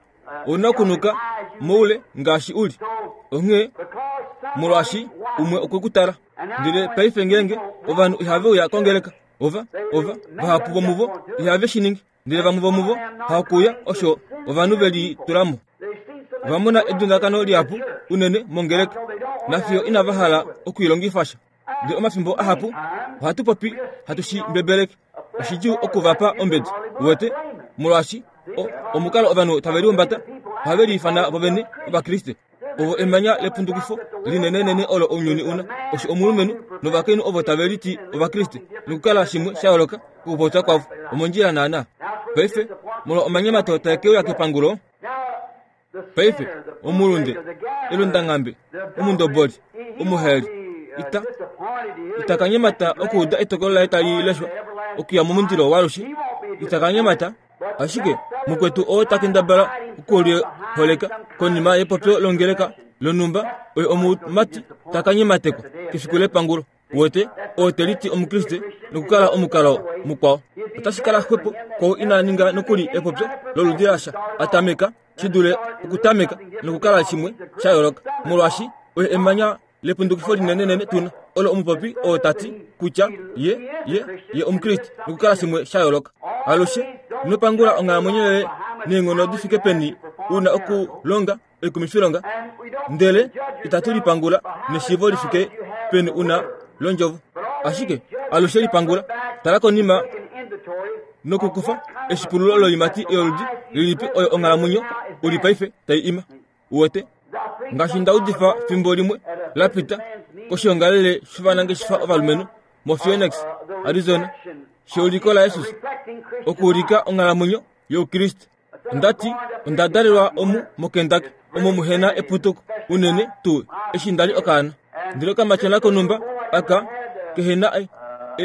Speaker 1: ou na okunuka moule ngaashi u li. Onghee, molwaashi umwe okwe ku tala. Ndele paife ngeenge ovanhu ihave uya kongeleka, ova, ova, vahapu vomuvo ihave shi ningi. Ndele vamwe vomuvo hakuuya osho ovanhu ve litula mo. Ova mona edundakano lihapu unene mongeleka, nafiyo inava hala okwiilongifa sha. Ndele omafimbo ahapu ohatu popi hatu shi mbebeleke. Oshidjuu oku va pa ombedi, uwete, molwaashi o, omukalo ovanhu tave lihumbata, ohave liifana vovene Ovakriste. Ovo emanya lepundukifo linenenene olo ounyuni una, osho omulumenhu novakainhu ovo tave liti Ovakriste nokukala shimwe sha yooloka kokupopya kwavo omondjila naanaa. Paife, molwa omanyemato tae ke uya kepangulo, paife, omulunde, elundanghambe, omundoboli, omuhaeli, ita, ita ka nyemata okuuda etokolo laye tali leshwa okuya momundilo waalushe, ita ka nyemata. Ashike mukwetu oo ta kendabala okuliholeka konima yepopyo longeleka lonhumba oye omumati ta ka nyematekwa kefiku lepangulo. Wete, oo te liti Omukriste nokukala omukalo mukwao. Otashi kala xwepo kwou ina ninga nokuli epopyo loludi lasha a tameka shi dule okutameka nokukala shimwe sha yooloka, molwaashi oye emanya lepundukifo linenenene tuna olo omupopi oo ta ti kutya ye ye ye omukriste nokukala shimwe sha yooloka. Alushe ino pangula onghalamwenyo yoye neenghono di fike peni u na okulonga oikumifilonga, ndele itatu lipangula neshiivo li fike peni u na londjovo. Ashike alushe lipangula, tala konima nokukufa eshipululo loiimati yoludi lilipi oyo onghalamwenyo u li paife tai ima. Uwete? Ngaashi nda udifa fimbo limwe la pita koshiongalele shovanangeshefa ovalumenhu moPhoenix, Arizona, sheuliko laJesus okuulika onghalamwenyo yOukriste. Onda ti, Onda dalelwa omu moKentucky, omo muhe na eputuko unene tuu eshi nda li okaana. Ndele okamatyona konhumba aka kehe na e, e,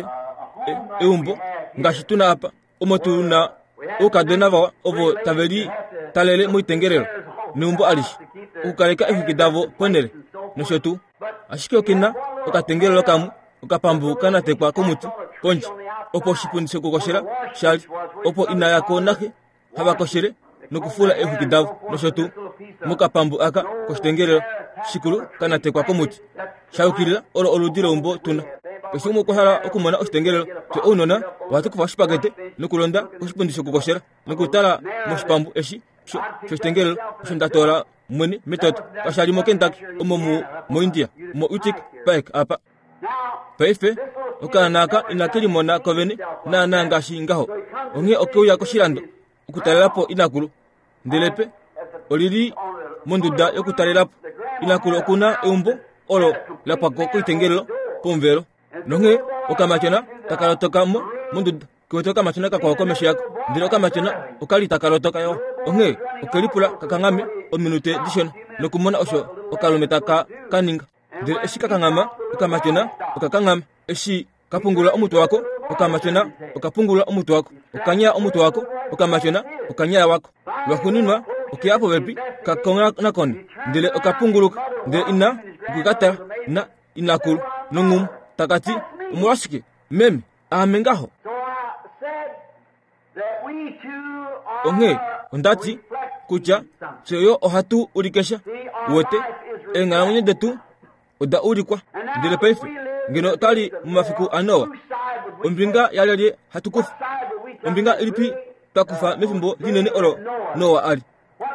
Speaker 1: e, eumbo ngaashi tu na apa. omo tu na oukadona vawa ovo tave li talele moitengelelo neumbo alishe okukaleka eexwiki davo ponhele nosho tuu. Ashike oke na okatengelelo kamwe okapambu ka natekwa komuti pondje opo oshipundi shokukoshela sha li, opo ina yako naxe hava koshele nokufula eexwiki davo nosho tuu mokapambu aka koshitengelelo shikulu ka natekwa komuti sha yukilila olo oludi leumbo tuna. Keshe umwe okwa hala okumona oshitengelelo. Fye ounona ohatu kufa oshipakete nokulonda koshipundi shokukoshela nokutala moshipambu eshi shoshitengelelo osho nda toola mwene metoto. Kasha li moKentucky, omo mu moIndia, moUtica Pike apa. Paife, okaana aka inake limona kovene naanaa ngaashi ngaho, onghee oke uya koshilando okutalela po inakulu. Ndele pe oli li monduda yokutalela po. Inakulu oku na eumbo olo la pwa ko koitengelelo pomuvelo. Nonghee okamatyona taka lotoka mo monduda ke wete okamatyona kakwao komesho yako. Ndele okamatyona oka li taka lotoka yo. Onghee oke lipula ka kanghame ominute dishona nokumona osho okalume taka ka ninga. Ndele eshi ka kanghama, okamatyona oka kanghama. Eshi ka pungulula omutwe wako, okamatyona oka pungulula omutwe wako. Oka nyaya omutwe wako, okamatyona oka nyaya wako. Lwaxuuninwa oke ya popepi, ka konakone, ndele oka punguluka. Ndele ina okwe ka tala, na inakulu nongumu, taka ti, Omolwashike, meme, aame ngaho? Onghee onda ti kutya fye yo ohatu ulike sha. Uwete, eenghalamwenyo detu oda ulikwa. Ndele paife, ngeno otwa li momafiku aNoa, ombinga yalyelye hatu kufa? Ombinga ilipi twa kufa mefimbo linene olo Noa a li?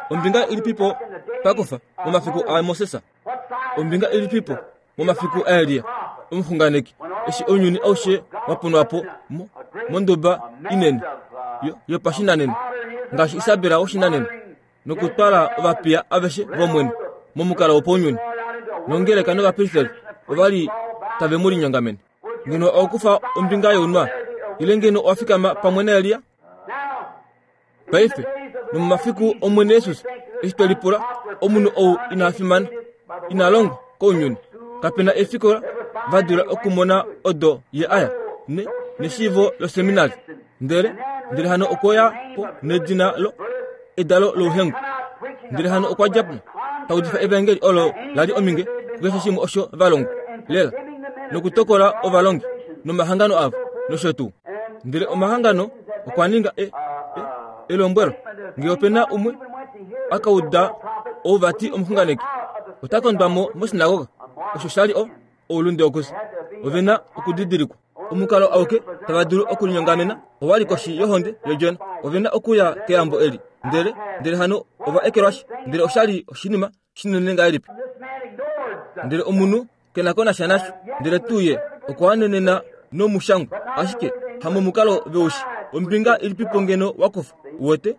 Speaker 1: Ombinga ilipipo twa kufa momafiku aMoses? Ombinga ilipipo momafiku aElia omuxunganeki, eshi ounyuni aushe wa punwa po mo, monduba inene yo, yopashinanena, ngaashi Isabel woshinanena, nokutwala ovapiya aveshe vOmwene momukalo wopaunyuni, nongeleka novapristeli ova li tave mu linyongamene. Ngeno owa kufa ombinga younwa, ile ngeno owa fikama pamwe naElia? Paife, nomomafiku Omwene Jesus, eshi twe lipula, omunhu ou ina fimana, ina longwa kounyuni, kape na efikola va dula okumona odo ye aya, ne, neshiivo loseminari. Ndele, ndele hano okwe ya po nedina lo, edalo louhengu. Ndele hano okwa dja po, ta udifa evaengeli olo la li ominge kukeshe shimwe osho va longwa, lela, nokutokola ovalongi nomahangano avo, nosho tuu. Ndele omahangano okwa ninga e, e, elombwelo ngee ope na umwe a ka uda ou vati omuxunganeki ota kondwa mo mosinagoga osho sha li o oulunde wokufya ove na okudidilikwa omukalo auke tava dulu okulinyongamena owa li koshi yohonde yodjona ove na okuya keyambo eli ndele ndele hano ova ekelwashi ndele osha li oshinima shinene ngahelipi ndele omunhu ke na ko nasha nasho ndele tuu ye okwa wanenena nomushangwa ashike hamomukalo veushi ombinga ilipipo ngeno wa kufa uwete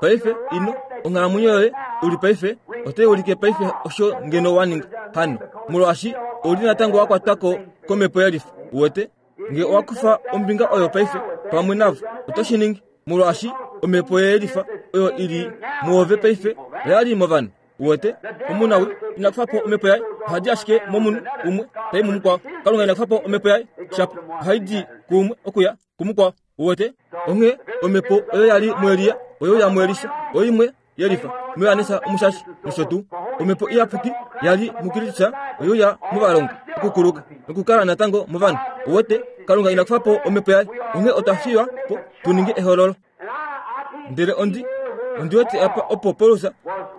Speaker 1: paife ino onghalamwenyo yoye u li paife otai ulike paife osho ngeno wa ninga hano molwaashi ou li natango wa kwatwa ko komhepo yelifa uwete Nge owa kufa ombinga oyo paife pamwe navo, oto shi ningi, molwaashi omhepo yelifa oyo i li muove paife oya li movanhu. Uwete? Omunawi ina kufa po omhepo yaye, oha di ashike momunhu umwe tai mumukwao. Kalunga ina kufa po omhepo yaye, shapo ohai di kuumwe okuya kumukwao. Uwete? Onghee omhepo oyo ya li muElia oyo ya muElisha, oimwe yelifa muJohannes Omushashi nosho tuu. Omhepo Iyapuki ya li muKristus oye uya movalongwa okukuluka nokukala natango movanhu. Uwete, Kalunga ina kufa po omhepo yaye, onghee otwa fiywa po tu ninge ehololo. Ndele ondi ondi wete apa opo Paulus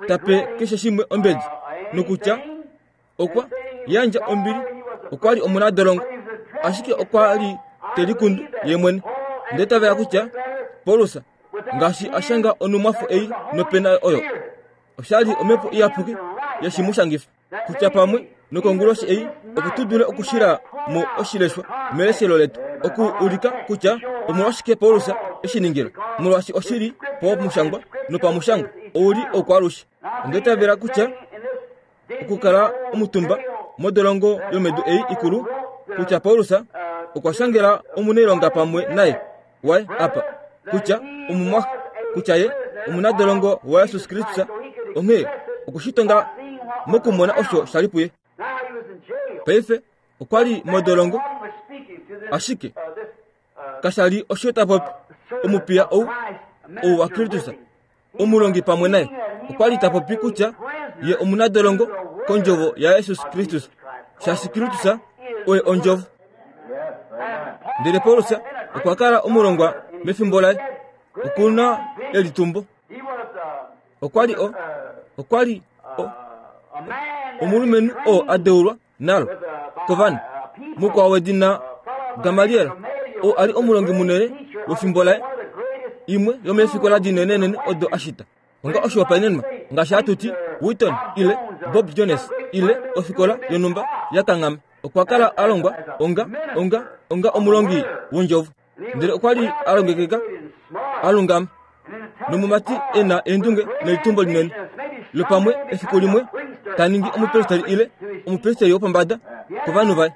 Speaker 1: ta pe keshe shimwe ombedi nokutya okwa yandja ombili okwa li omunadolongo ashike okwa li te likundu ye mwene ndele tava ya kutya paulus ngaashi a shanga onumwafo ei nopena oyo osha li omhepo iyapuki yeshi mu shangifa kutya pamwe nokonguloshi ei opo tu dule okushila mo oshileshwa meleshelo letu oku ulika kutya omolwashike paulus eshi ningila molwaashi oshi li pomushangwa nopamushangwa ou li oukwalushe onda itavela kutya okukala omutumba modolongo yomedu ei ikulu kutya Paulus okwa shangela omunailonga pamwe naye waye apa kutya omumwaxe kutya ye omunadolongo waJesus Kristus onghee okushitonga mokumona osho sha li puye. Paife okwa li modolongo ashike kasha li osho ta popi omupiya ou ou waKristus omulongi pamwe naye okwa li ta popi kutya ye omunadolongo kondjovo yaJesus Kristus shaashi Kristus oye ondjovo. Ndele Paulus okwa kala omulongwa mefimbo laye oku na elitumbo. Okwa li o okwa li o omulumenhu oo a deulwa nalo kovanhu mukwao wedina Gamaliel oo a li omulongi munene wefimbo laye imwe yomeefikola dinenenene odo a shita onga oshihopaenenwa ngaashi hatu ti Wheaton ile Bob Jones ile ofikola yonhumba ya kanghama okwa kala a longwa onga onga onga omulongi wondjovo ndele okwa li a longekeka a lungama nomumati e na eendunge nelitumbo linene lopamwe efiku limwe ta ningi omupristeri ile omupristeri wopombada kovanhu vaye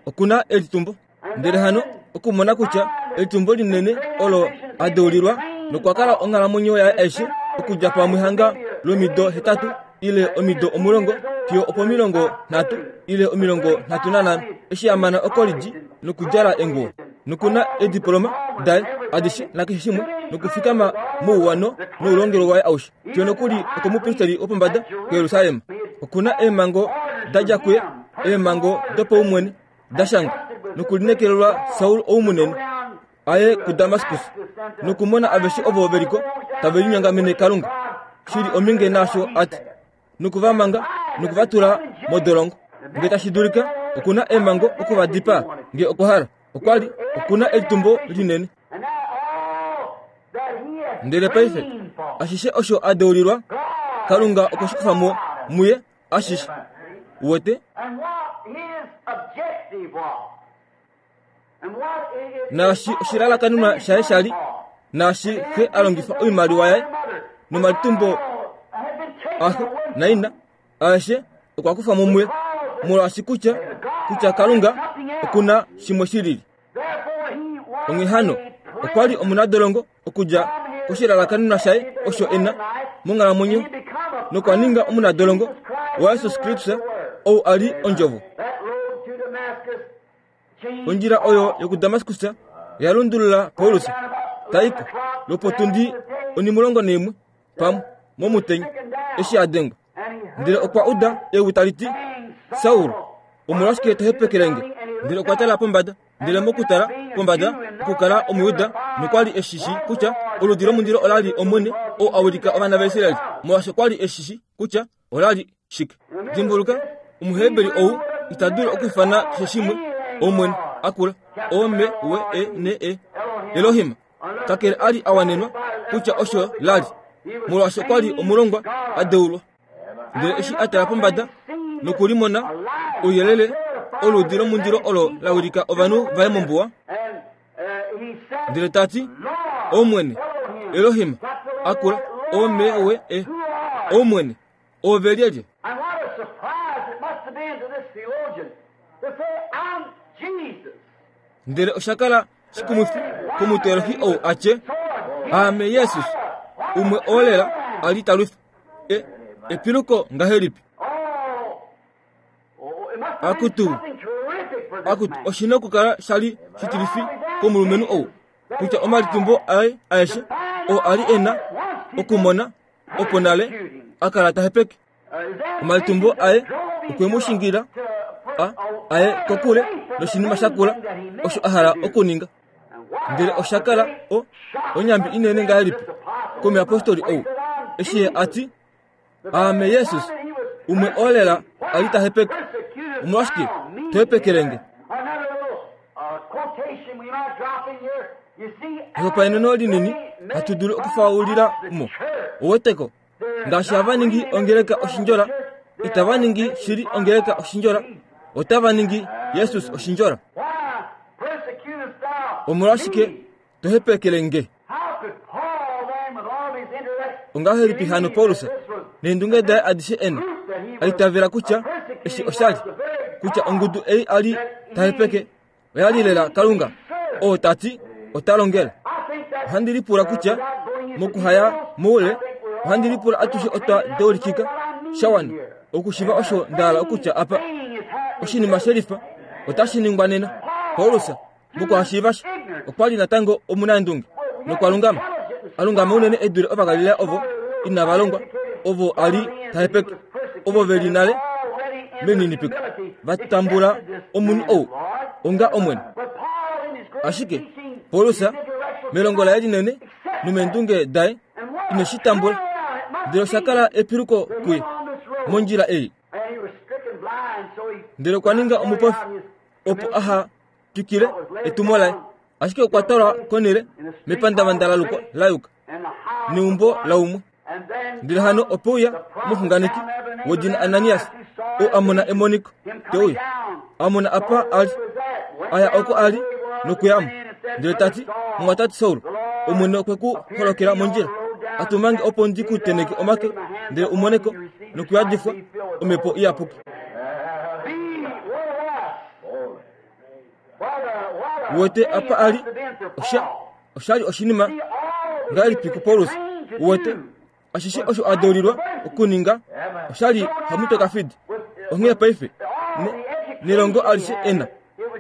Speaker 1: oku na elitumbo ndele hano okumona kutya elitumbo linene olo a deulilwa nokwa kala onghalamwenyo yaye aishe okudja pamwe hanga lomido hetatu ile omido 10 fiyo opomilongo nhatu ile 35 eshi a mana okolidji nokudjala enguwo nokuna ediploma daye adishe nakeshe shimwe nokufikama mouwano noulongelwe waye aushe fiyo nokuli okomupristeli wopombada kuJerusalem. Okuna eemhango da dja kuye, eemhango dopaumwene da shangwa nokulineekelelwa Saul ou munene a ye kuDamaskus nokumona aveshe ovo ve li ko tave linyongamene Kalunga shi li ominge naasho a ti noku va manga noku va tula modolongo nge tashi dulika oku na eemhango oku va dipaa nge okwa hala. Okwa li oku na elitumbo linene. Ndele paife, ashishe osho a deulilwa, Kalunga okwe shi kufa mo muye ashishe. Uwete? Naashi oshilalakanenwa shaye sha li, naashi xe a longifa oimaliwa yaye nomalitumbo axe naina, aeshe okwa kufa mo muye, molwaashi kutya, kutya Kalunga oku na shimwe shi lili. Onghee hano, okwa li omunadolongo okudja koshilalakanenwa shaye osho e na monghalamwenyo nokwa ninga omunadolongo waJesus Kristus ou a li Ondjovo. Ondjila oyo yokuDamaskus oya lundulula Paulus taiko lwopotundi onimulongo neimwe pamwe momutenya eshi a dengwa. Ndele okwa uda ewi tali ti, Saul, omolwashike to hepekele nge? Ndele okwa tala pombada, ndele mokutala pombada okukala Omujuda nokwa li e shi shii kutya oludi lomundilo ola li Omwene ou a wilika ovana vaIsrael, molwaashi okwa li e shi shii kutya ola li shike. Dimbuluka, Omuheberi ou ita dulu okwiifana keshe shimwe Omwene akula, O-M-W-E-N-E, Elohim. Kakele a li a wanenwa kutya osho la li, molwaashi okwa li omulongwa a deulwa. Ndele eshi a tala pombada nokulimona ouyelele oludi lomundilo olo la wilika ovanhu vaye mombuwa, ndele ta ti, Omwene, Elohim, akula, O-M-W-E, Omwene, Oove lyelye? Ndele osha kala shikumwifi komuteolohi ou a tye, Aame Jesus, umwe oo lela a li ta lwifa. E, epiluko ngahelipi! Akutu, akutu, oshi na okukala sha li shitilifi komulumenhu ou, kutya omalitumbo aye aeshe oo a li e na okumona opo nale a kala ta hepeke omalitumbo aye okwe mu shingila a aye kokule noshinima sha kula osho a hala okuninga. Ndele osha kala o onyambi inene ngahelipi komuyapostoli ou eshi ye a ti, Aame Jesus, umwe oo lela a li ta hepeke. Omolwashike to hepekele nge? Ehopaeneno linini hatu dulu okufaulila mo. Oweteko, ngaashi hava ningi ongeleka oshindjola, itava ningi shili ongeleka oshindjola, otava ningi Jesus oshindjola. Omolwashike to hepekele nge? Ongahelipi hano Paulus neendunge daye adishe e na a itavela kutya eshi osha li kutya ongudu ei a li ta hepeke oya li lela Kalunga oo ta ti ota longele? Ohandi lipula kutya mokuhaya moule, ohandi lipula atushe otwa deulikika sha wana okushiva osho nda hala okutya apa. Oshinima shelifa otashi ningwa nena. Paulus Mokuhashiiva sha, okwa li natango omunaendunge nokwa lungama, a lungama unene e dule Ovagalilea ovo inava longwa, ovo a li ta hepeke, ovo ve li nale melininipiko, va tambula omunhu ou onga Omwene. Ashike Paulus, melongo laye linene nomeendunge daye, ine shi tambula, ndele osha kala epiluko kuye mondjila ei. Ndele okwa ninga omupofi opo aha twikile etumo laye, ashike okwa twalwa konhele mepandavanda la lukwa la yuka neumbo laumwe. Ndele hano ope uya omuxunganeki wedina Ananias, ou a mona emoniko, te uya, a mona apa a li, a ya oko a li nokuya mo, ndele ta ti, Mumwatate Saul, Omwene okwe ku holokela mondjila, a tuma nge opo ndi ku tenheke omake, ndele u mone ko nokuyadifwa Omhepo Iyapuki. Uwete apa a li? Osha, osha li oshinima ngahelipi kuPaulus? Uwete, ashishe osho a deulilwa okuninga osha li hamutwe kafidi. Onghee paife, ne, nelongo alishe e na,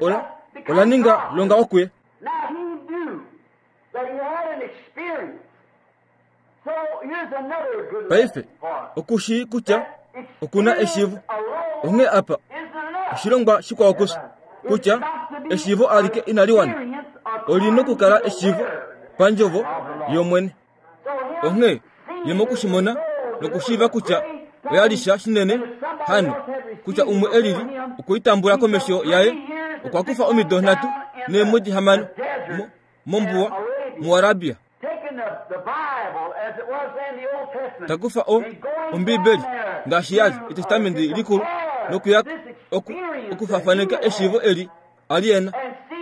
Speaker 1: ola, ola ninga longa okuye. Paife oku shii kutya oku na eshiivo. Onghee apa oshilongwa shikwao kufye kutya eshiivo alike inali wana, oli nokukala eshiivo pandjovo yOmwene. Onghee ye moku shi mona nokushiiva kutya oya li sha shinene hano kutya umwe e lili okwe i tambula komesho yaye, okwa kufa omido nhatu neemwedi hamano mombuwa muArabia. Ta kufa o, Ombibeli, ngaashi ya li Etestamenti Likulu, nokuya oku, okufafaneka eshiivo eli a li e na,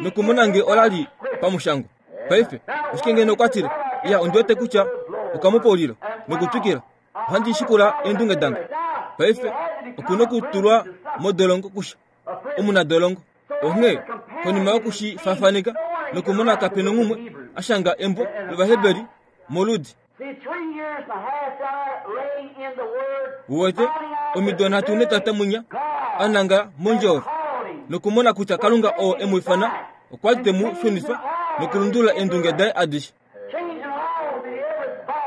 Speaker 1: nokumona nge ola li pamushangwa. Paife, oshike ngeno okwa tile, Iya, ondi wete kutya okamupaulilo, nokutwikila, ohandi shikula eendunge dange. Paife, oku nokutulwa modolongo kusha, omunadolongo. Onghee, konima yoku shi faafaneka nokumona kape nonghumwe a shanga embo lOvaheberi moludi. Uwete, omido nhatu netata munya a nangala mondjovo nokumona kutya Kalunga oo e mu ifana okwa li te mu shunifa nokulundulula eendunge daye adishe.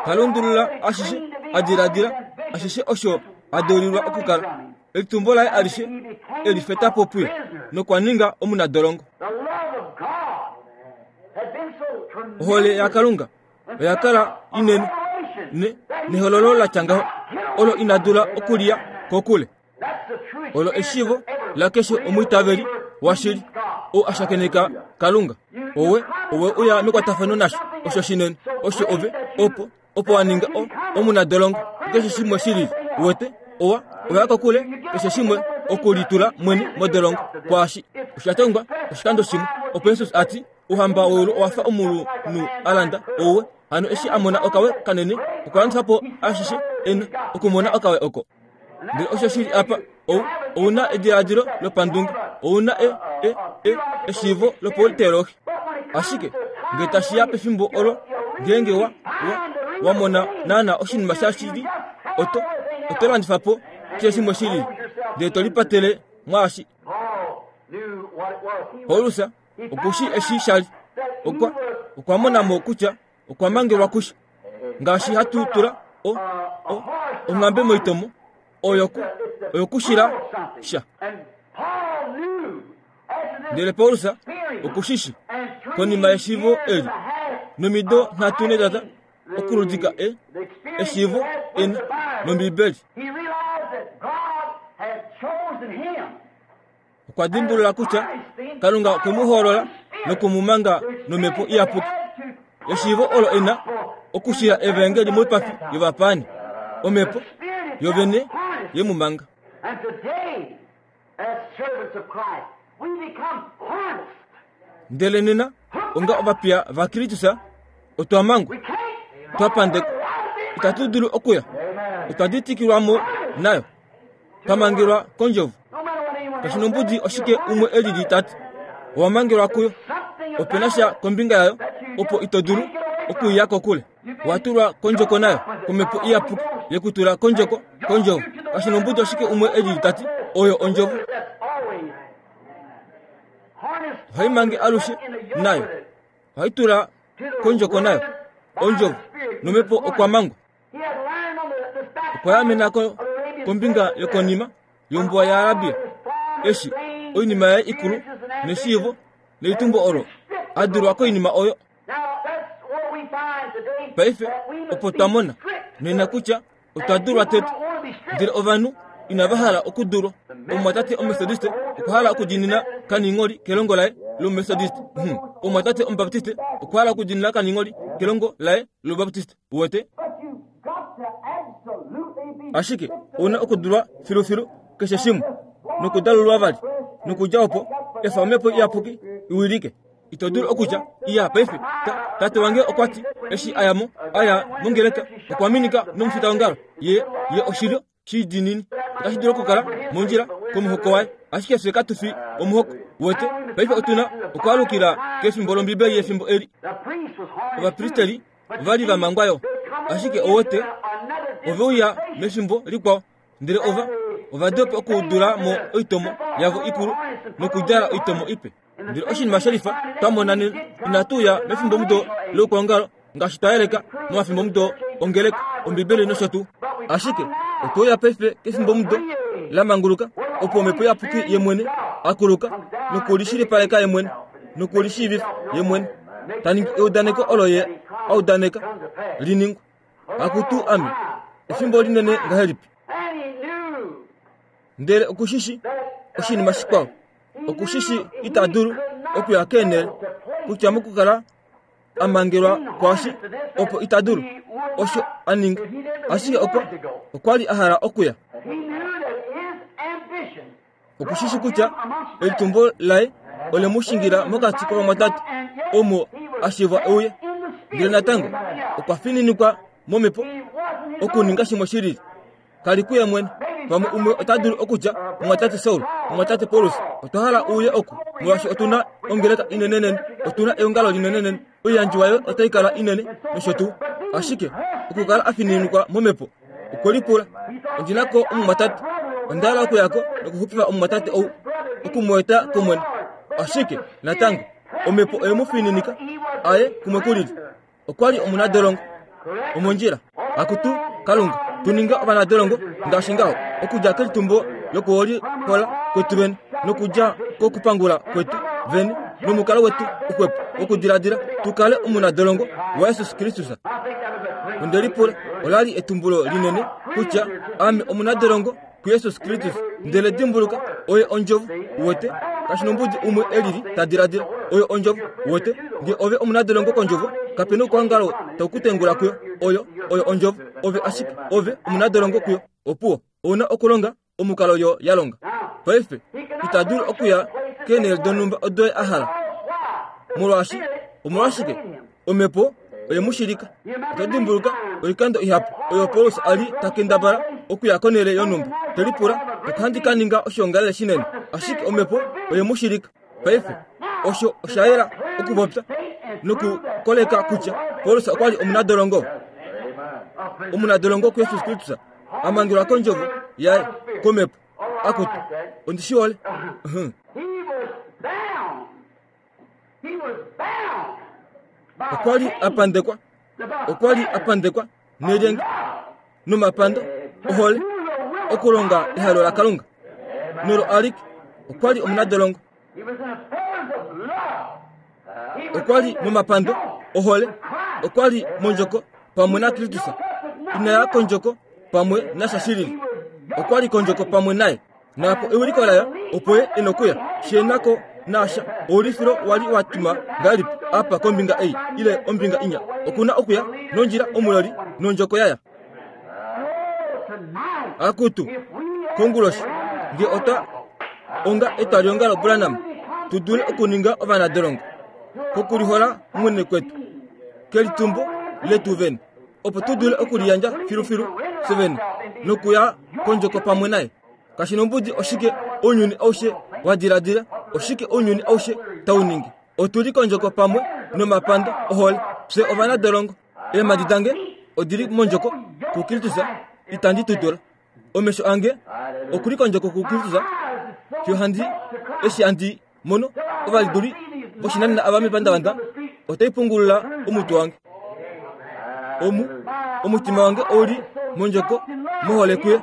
Speaker 1: Ta lundulula ashishe a diladila, ashishe osho a deulilwa okukala. Elitumbo laye alishe e li feta po puye, nokwa ninga omunadolongo. Ohole yaKalunga oya kala inene ne, nehololo la tya ngaho olo ina dula okuliya kokule. Olo eshiivo lakeshe omwiitaveli washili ou a shakeneka Kalunga. Owe, owe uya mekwatafano nasho osho shinene osho ove opo opo wa ninga o, omunadolongo keshe shimwe shi lili. Uwete, owa oya kokule keshe shimwe okulitula mwene modolongo kwaashi osha tongwa oshikando shimwe opo Jesus a ti Ouhamba weulu owa fa omulunhu a landa ouwe. Hano eshi a mona okawe kanene, okwa landifa po ashishe e na okumona okawe oko. Ndele osho shi li apa, ou, ou na ediladilo lopandunge, ou na e, e, e, eshiivo lopauliteologi. Ashike nge tashi ya pefimbo olo ngeenge wa, wa, wa mona naana oshinima shashili, oto, oto landifa po keshe shimwe shi lili, ndele to lipatele mwaashi. Paulus oku shi eshi sha li. Okwa, okwa mona mo kutya okwa mangelwa kusha. Ngaashi hatu tula o, o, onghambe moitomo, oyo ku, oyo kushila sha. Ndele Paulus oku shi shi, konima yeshiivo eli, nomido nhatu netata okuludika e, eshiivo ena nOmbibeli. Okwa dimbulula kutya Kalunga okwe mu hoolola noku mu manga nomhepo iyapuki. Eshiivo olo e na okushila evaengeli moipafi yovapaani. Omhepo yovene ye mu manga. Ndele nena, onga ovapiya vaKristus, otwa mangwa, twa pandekwa, itatu dulu okuya, otwa ditikilwa mo nayo. Twa mangelwa kondjovo. Kashi nombudi oshike umwe e lili ta ti, owa mangelwa kuyo. Ope na sha kombinga yayo opo ito dulu okuiya kokule. Wa tulwa kondjoko nayo, komhepo iyapuki ye ku tula kondjoko, kondjovo. Kashi nombudi oshike umwe e lili ta ti, oyo ondjovo. Ohai mange alushe nayo. Ohai tula kondjoko nayo, ondjovo, nomhepo okwa mangwa. Okwa yaamena ko kombinga yokonima yombuwa yaArabia, eshi oinima yaye ikulu neshiivo nelitumbo olo a dulwa koinima oyo. Paife opo twa mona nena kutya otwa dulwa tete, ndele ovanhu inava hala okudulwa. Omumwatate Omumethodiste okwa hala okudiinina kaningholi kelongo laye lOmumethodiste. Hmm. Omumwatate Omubaptiste okwa hala okudiinina kaningholi kelongo laye lObaptiste. Uwete? Ashike ou na okudulwa filufilu keshe shimwe, nokudalulwa vali, nokudja opo, efa Omhepo Iyapuki i wilike. Ito dulu okutya, Iya, paife, ta, tate wange okwa ti, eshi a ya mo, a ya mongeleka, okwa minika nomufitaongalo. Ye, ye oshilyo Shidiinini otashi dulu okukala mondjila komuhoko waye, ashike fye katu fi omuhoko. Wete, paife otu na okwaalukila kefimbo lOmbibeli yefimbo eli. Ovapristeli ova li va mangwa yo, ashike owete, ove uya mefimbo likwao, ndele ova ova dopa okudula mo oitomo yavo ikulu nokudjala oitomo ipe. Ndele oshinima shelifa twa mona nena, inatu uya mefimbomudo loukwaongalo ngaashi twa yeleka momafimbomudo ongeleka, Ombibeli nosho tuu. Ashike otwe uya paife kefimbomudo la manguluka, opo Omhepo Iyapuki Ye mwene a kuluka nokulishilipaleka Ye mwene nokulishiivifa Ye mwene, ta ningi eudaneko olo Ye a udaneka li ningwe. Akutu ame, efimbo linene ngahelipi! Ndele oku shi shi oshinima shikwao, oku shi shi ita dulu okuya keenhele kutya mokukala. a mangelwa kwaashi opo ita dulu osho a ninga ashike okwa okwa li a hala okuya okushishi kutya elitumbo laye ole mu shingila mokati kovamwatate omo a shivwa euye ndele natango okwa fininikwa momhepo okuninga shimwe shi lili Kali kuye mwene. Pamwe umwe ota dulu okutya, Mumwatate Saul, Mumwatate Paulus, otwa hala uye oku, molwaashi otu na ongeleka inenenene, otu na eongalo linenenene, oiyandjiwa yoye otai kala inene, nosho tuu. Ashike, okukala a fininikwa momhepo, okwe lipula, Ondi na ko omumwatate. Onda hala okuya ko nokuxupifa omumwatate ou, oku mu eta kOmwene. Ashike, natango, omhepo oye mu fininika a ye kumwe kulili. Okwa li omunadolongo omondjila. Akutu, Kalunga, tu ninga ovanadolongo ngaashi ngaho, okudja kelitumbo lokuholihola kwetu vene, nokudja kokupangula kwetu vene, nomukalo wetu uxwepo wokudiladila, tu kale omunadolongo waJesus Kristus. Onde lipula, ola li etumbulo linene kutya ame omunadolongo kuJesus Kristus. Ndele dimbuluka, oye ondjovo, uwete, kashi nombudi umwe e lili ta diladila. Oyo ondjovo, uwete. Nge ove omunadolongo kondjovo, kape noukwangalo tau ku tengula kuyo. Oyo, oyo ondjovo. Ove ashike, ove omunadolongo kuyo. Opuwo, ou na okulonga omukalo yo ya longa. Paife, ita dulu okuya keenhele donhumba odo ye a hala. Molwaashi, omolwashike? Omhepo oye mu shilika. Oto dimbuluka oikando ihapu oyo Paulus a li ta kendabala okuya konhele yonhumba, te lipula, Ohandi ka ninga oshoongalele shinene. Ashike omhepo oye mu shilika. Paife, osho osha yela okupopya nokukoleka kutya Paulus okwa li omunadolongo. Omunadolongo kuJesus Kristus, a mangelwa kondjovo yaye komhepo. Akutu, ondi shi hole. Okwa li a pandekwa, okwa li a pandekwa nelyenge nomapando ohole okulonga ehalo laKalunga nolo alike. Okwa li omunadolongo. Okwa li momapando ohole. Okwa li mondjoko pamwe naKristus. Ina ya kondjoko pamwe nasha shilili. Okwa li kondjoko pamwe naye. Naapo ewiliko layo opo ye e nokuya, she na ko nasha oulifilo wa li wa tuma ngahelipi apa kombinga ei ile ombinga inya. Oku na okuya nondjila omuloli nondjoko yaya. Akutu, konguloshi, nge otwa onga etwaliongalo Branham, tu dule okuninga ovanadolongo kokulihola mwene kwetu, kelitumbo letu vene, opo tu dule okuliyandja filufilu fye vene nokuya kondjoko pamwe naye. Kashi nombudi oshike ounyuni aushe wa diladila, oshike ounyuni aushe tau ningi. Otu li kondjoko pamwe nomapando ohole. Fye ovanadolongo. Eemhadi dange odi li mondjoko kuKristus, itandi tutula. Omesho ange oku li kondjoko kuKristus, fiyo handi eshi handi mono ovaliduli voshinanena ava mepandavanda otai pungulula omutwe wange. Omu omutima wange ou li mondjoko mohole kuye,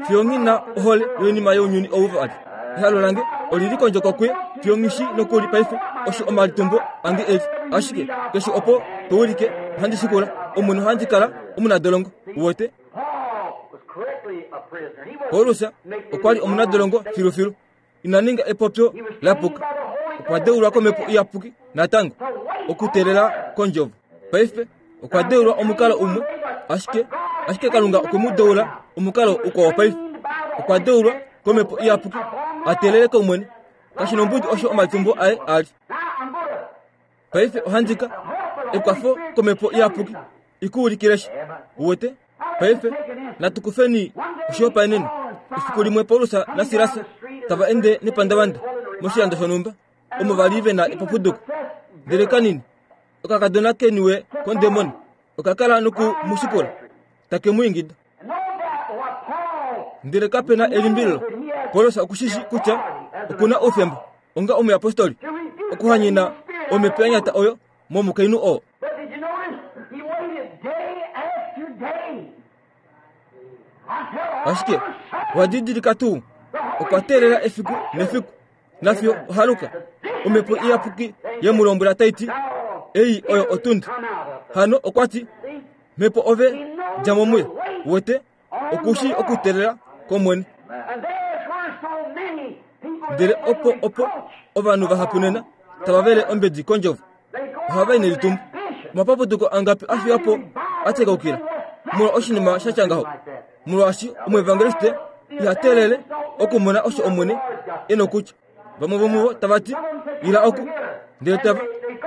Speaker 1: fiyo nghi na ohole yoinima younyuni ou vali. Ehalo lange oli li kondjoko kuye, fiyo nghi shi nokuli paife osho omalitumbo ange e li. Ashike keshe opo to ulike ohandi shikula, omu nohandi kala omunadolongo. Uwete? Paulus okwa li omunadolongo filufilu. Ina ninga epopyo la puka. Okwa deulwa komhepo iyapuki natango okuteelela kondjovo. Paife okwa deulwa omukalo umwe, ashike ashike Kalunga okwe mu deula omukalo ukwao paife. Okwa deulwa komhepo iyapuki a teelele kOmwene. Kashi nombudi osho omatumbo aye a li. Paife ohandi ka ekwafo komhepo iyapuki i ku ulikile sha. Uwete? Paife natu kufeni oshihopaenenwa. Efiku limwe Paulus naSilas tava ende nepandavanda moshilando shonhumba omo va li ve na epapuduko. Ndele kanini, okakadona ke niwe kondemoni oka kala noku mu shikula, take mu ingida. Ndele kape na elimbililo, Paulus oku shi shi kutya oku na oufemba onga omuyapostoli okuhanyena omhepo ya nyata oyo momukainhu oo. Ashike owa didilika tuu, okwa teelela efiku nefiku, nafiyo ohaluka omhepo iyapuki ye mu lombwela tai ti, Ei oyo otundi. Hano okwa ti, Mhepo ove, dja mo muye. Wete, oku shii okuteelela kOmwene. Ndele opo opo ovanhu vahapu nena tava vele ombedi kondjovo. Ohava i nelitumbo. Omapapuduko angapi a fiwa po a tekaukila molwa oshinima sha tya ngaho? Molwaashi omuevangeliste iha teelele okumona osho Omwene e nokutya. Vamwe vomuvo tava ti, Ila oku, ndele tava,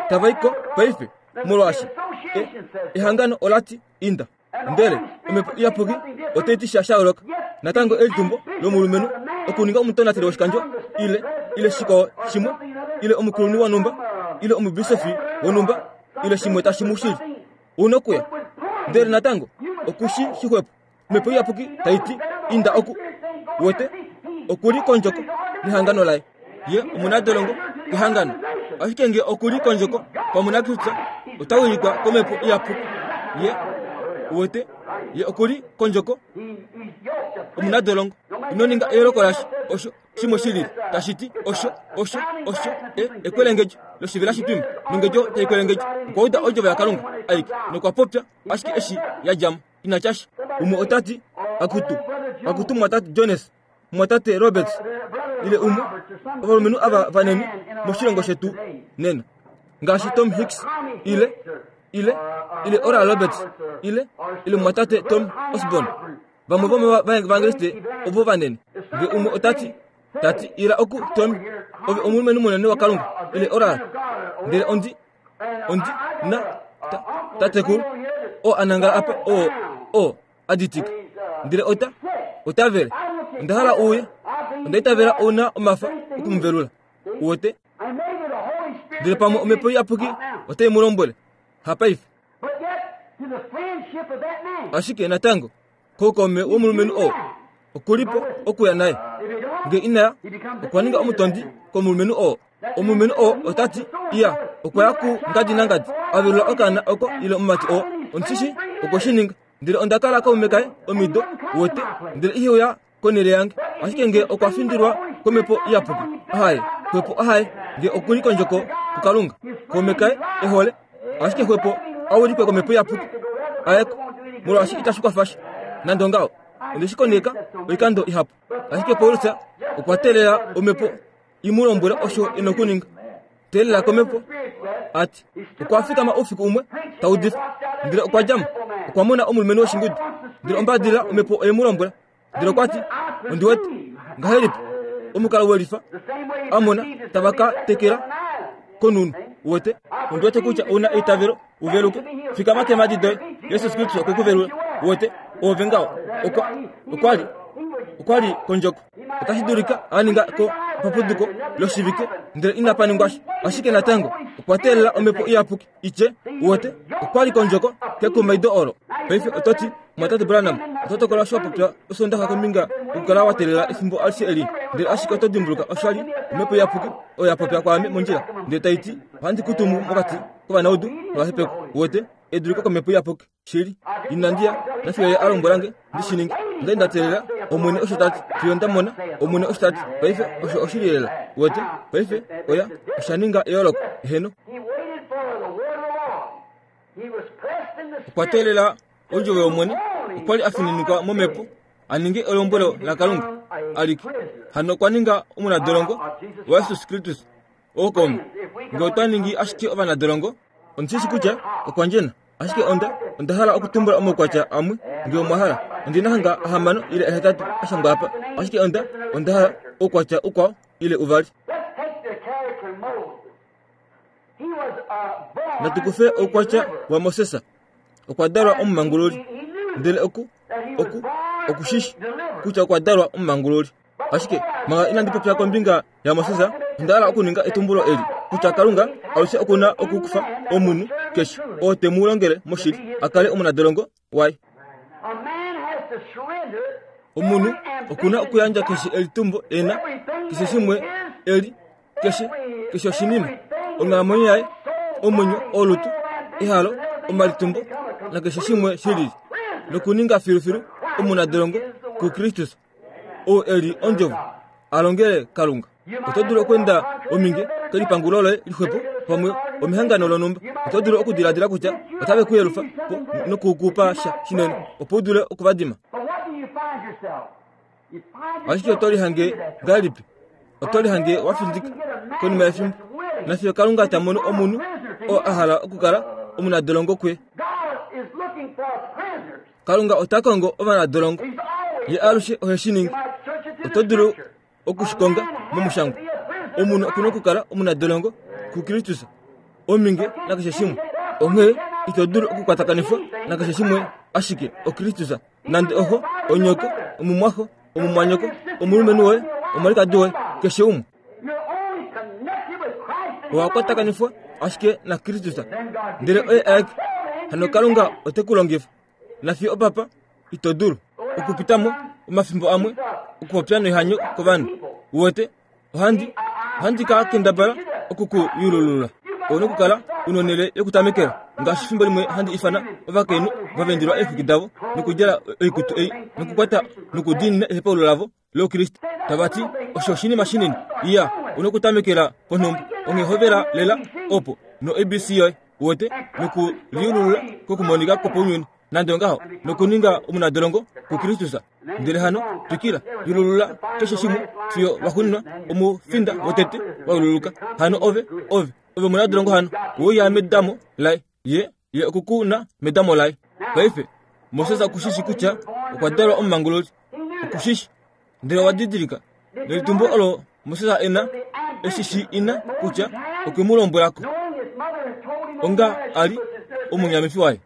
Speaker 1: tava i ko paife, molwaashi e, ehangano ola ti, Inda. Ndele Omhepo Iyapuki otai ti sha sha yooloka. Natango elitumbo lomulumenhu okuninga omutonateli woshikandjo ile ile shikwao shimwe ile omukulunhu wonhumba ile omubisofi wonhumba ile shimwe tashi mu shili u nokuya. Ndele natango oku shi shixwepo. Omhepo Iyapuki tai ti inda oku wete oku li kondjoko nehangano laye. Ye omunadolongo kehangano. Ashike nge oku li kondjoko pamwe naKristus, ota wilikwa kOmhepo Iyapuki. Ye uwete, ye oku li kondjoko omunadolongo. Ino ninga eyooloko lasha osho shimwe shi lili tashi ti osho osho osho e ekwelengedjo loshivela shitwima nongedjo tai kwelengedjo. Okwa uda ondjovo yaKalunga aike nokwa popya ashike eshi ya dja mo. Ina tya sha. Umwe ota ti, Akutu, akutu mumwatate Jones, mumwatate Roberts, ile umwe, ovalumenhu ava vanene moshilongo shetu nena, ngaashi Tom Hicks, ile, ile, ile Oral Roberts, ile, ile mumwatate Tom Osborn, vamwe vomovaevangeliste ovo vanene. Nge umwe ota ti, ta ti, Ila oku, Tom, ove omulumenhu munene waKalunga, ile Oral, ndele ondi, ondi na ta, tatekulu oo a nangala apa oo oo a ditika ndele ota ota vele onda hala uye onda itavela ou na omafa oku mu velula uwete ndele pamwe omhepo iyapuki otai mu lombwele hapaife ashike natango Koukaume womulumenhu oo oku li po okuya naye. Nge ina ya, okwa ninga omutondi komulumenhu oo. Omulumenhu oo ota ti, Iya, okwa ya ku ngadi nangadi, a velula okaana oko ile omumati oo. Ondi shi shii okwe shi ninga. Ndele onda kala kaume kaye omido, uwete, ndele ihe uya konhele yange. Ashike nge okwa findilwa komhepo iyapuki, ahaye, xwepo ahaye, nge oku li kondjoko kuKalunga, kaume kaye e hole, ashike xwepo a wilikwe komhepo iyapuki ayeko molwaashi itashi kwafa sha nande ongaho onde shi koneka oikando ihapu ashike paulus okwa teelela omhepo i mu lombwele osho e na okuninga teelela komhepo a ti okwa fikama oufiku umwe ta udifa ndele okwa dja mo okwa mona omulumenhu woshingudu ndele ombadilila omhepo oye mu lombwela ndele okwa ti ondi wete ngahelipi omukalo welifa a mona tava ka tekela konunu wete ondi wete kutya ou na eitavelo u veluke fikama keemhadi doye jesus kristus okwe ku velula wete oove ngaho okwa okwa li okwa li kondjoko otashi dulika a ninga ko papuduko loshivike ndele inapa ningwa sha ashike natango okwa teelela omhepo iyapuki itye uwete okwa li kondjoko kekumaido olo paife oto ti mwatate branham oto tokola osho wa popya osondaxa kombinga yokukala wa teelela efimbo alishe eli ndele ashike oto dimbuluka osha li omhepo iyapuki oyo ya popya kwaame mondjila ndele tai ti ohandi ku tumu mokati kovanaudu novahepekwa uwete eduliko komhepo iyapuki Shili, inandi ya nafiyo ye a lombwela nge ndi shi ninge. Onda li nda teelela, Omwene osho ta ti, fiyo nda mona, Omwene osho ta ti. Paife, osho oshili lela. Uwete? Paife, oya, osha ninga eyooloko. Eheno. Okwa teelela Ondjovo yOmwene. Okwa li a fininikwa momhepo a ninge elombwelo laKalunga alike. Hano okwa ninga omunadolongo waJesus Kristus. Ookaume, nge otwa ningi ashike ovanadolongo, ondi shi shi kutya okwa ndjena. Ashike onda, onda hala okutumbula omaukwatya amwe, nge omwa hala. Ondi na hanga ahamano ile ahetatu a shangwa apa, ashike onda, onda hala oukwatya ukwao ile uvali. Natu kufe oukwatya waMoses. Okwa dalwa omumangululi. Ndele oku, oku, oku shi shi kutya okwa dalwa omumangululi. Ashike manga inandi popya kombinga yaMoses, onda hala okuninga etumbulo eli kutya Kalunga alushe oku na okukufa omunhu keshe oo te mu longele moshili a kale omunadolongo waye. Omunhu oku na okuyandja keshe elitumbo e na, keshe shimwe e li, keshe keshe oshinima, onghalamwenyo yaye, omwenyo, olutu, ehalo, omalitumbo nakeshe shimwe shi lili, nokuninga filufilu omunadolongo kuKristus. ou e li ondjovo a longele Kalunga. Oto dulu okweenda ominge kelipangulo loye lixwepo pamwe omehangano lonhumba. Oto dulu okudiladila kutya otave ku yelufa po noku ku pa sha shinene opo u dule oku va dima. Ashike oto lihange ngahelipi? Oto lihange wa findika konima yefimbo. Nafiyo Kalunga ta mono omunhu oo a hala okukala omunadolongo kuye. Kalunga ota kongo ovanadolongo. Ye alushe ohe shi ningi. Oto dulu oku shi konga momushangwa. Omunhu oku na okukala omunadolongo kuKristus, ominge nakeshe shimwe. Onghee ito dulu okukwatakanifwa nakeshe shimwe ashike oKristus, nande oxo, onyoko, omumwaxo, omumwanyoko, omulumenhu woye, omwalikadi woye, keshe umwe. Owa kwatakanifwa ashike naKristus, ndele oye aeke. Hano Kalunga ote ku longifa. Nafiyo opapa, ito dulu okupita mo omafimbo amwe okupopya noihanyo kovanhu. Uwete, ohandi, ohandi ka kendabala oku ku yululula. Ou nokukala u nonhele yokutamekela, ngaashi fimbo limwe handi ifana ovakainhu va vendulwa eexwiki davo nokudjala oikutu ei nokukwata nokudiinina ehepaululo lavo lOukriste, tava ti, Osho oshinima shinini. Iya, u nokutamekela ponhumba. Onghee hovela lela opo no-ABC yoye, uwete, nokuliululula kokumonika kwopaunyuni, nande ongaho, nokuninga omunadolongo kuKristus. Ndele hano twikila, yululula keshe shimwe fiyo waxuuninwa omufinda wotete wa yululuka. Hano ove, ove, ove omunadolongo hano, we uya medamo laye. Ye, ye oku ku na medamo laye. Paife, Moses oku shi shi kutya okwa dalwa omumangululi. Oku shi shi. Ndele owa didilika, nelitumbo olo Moses e na, eshi shi ina kutya okwe mu lombwela ko, onga a li omunyamifi waye.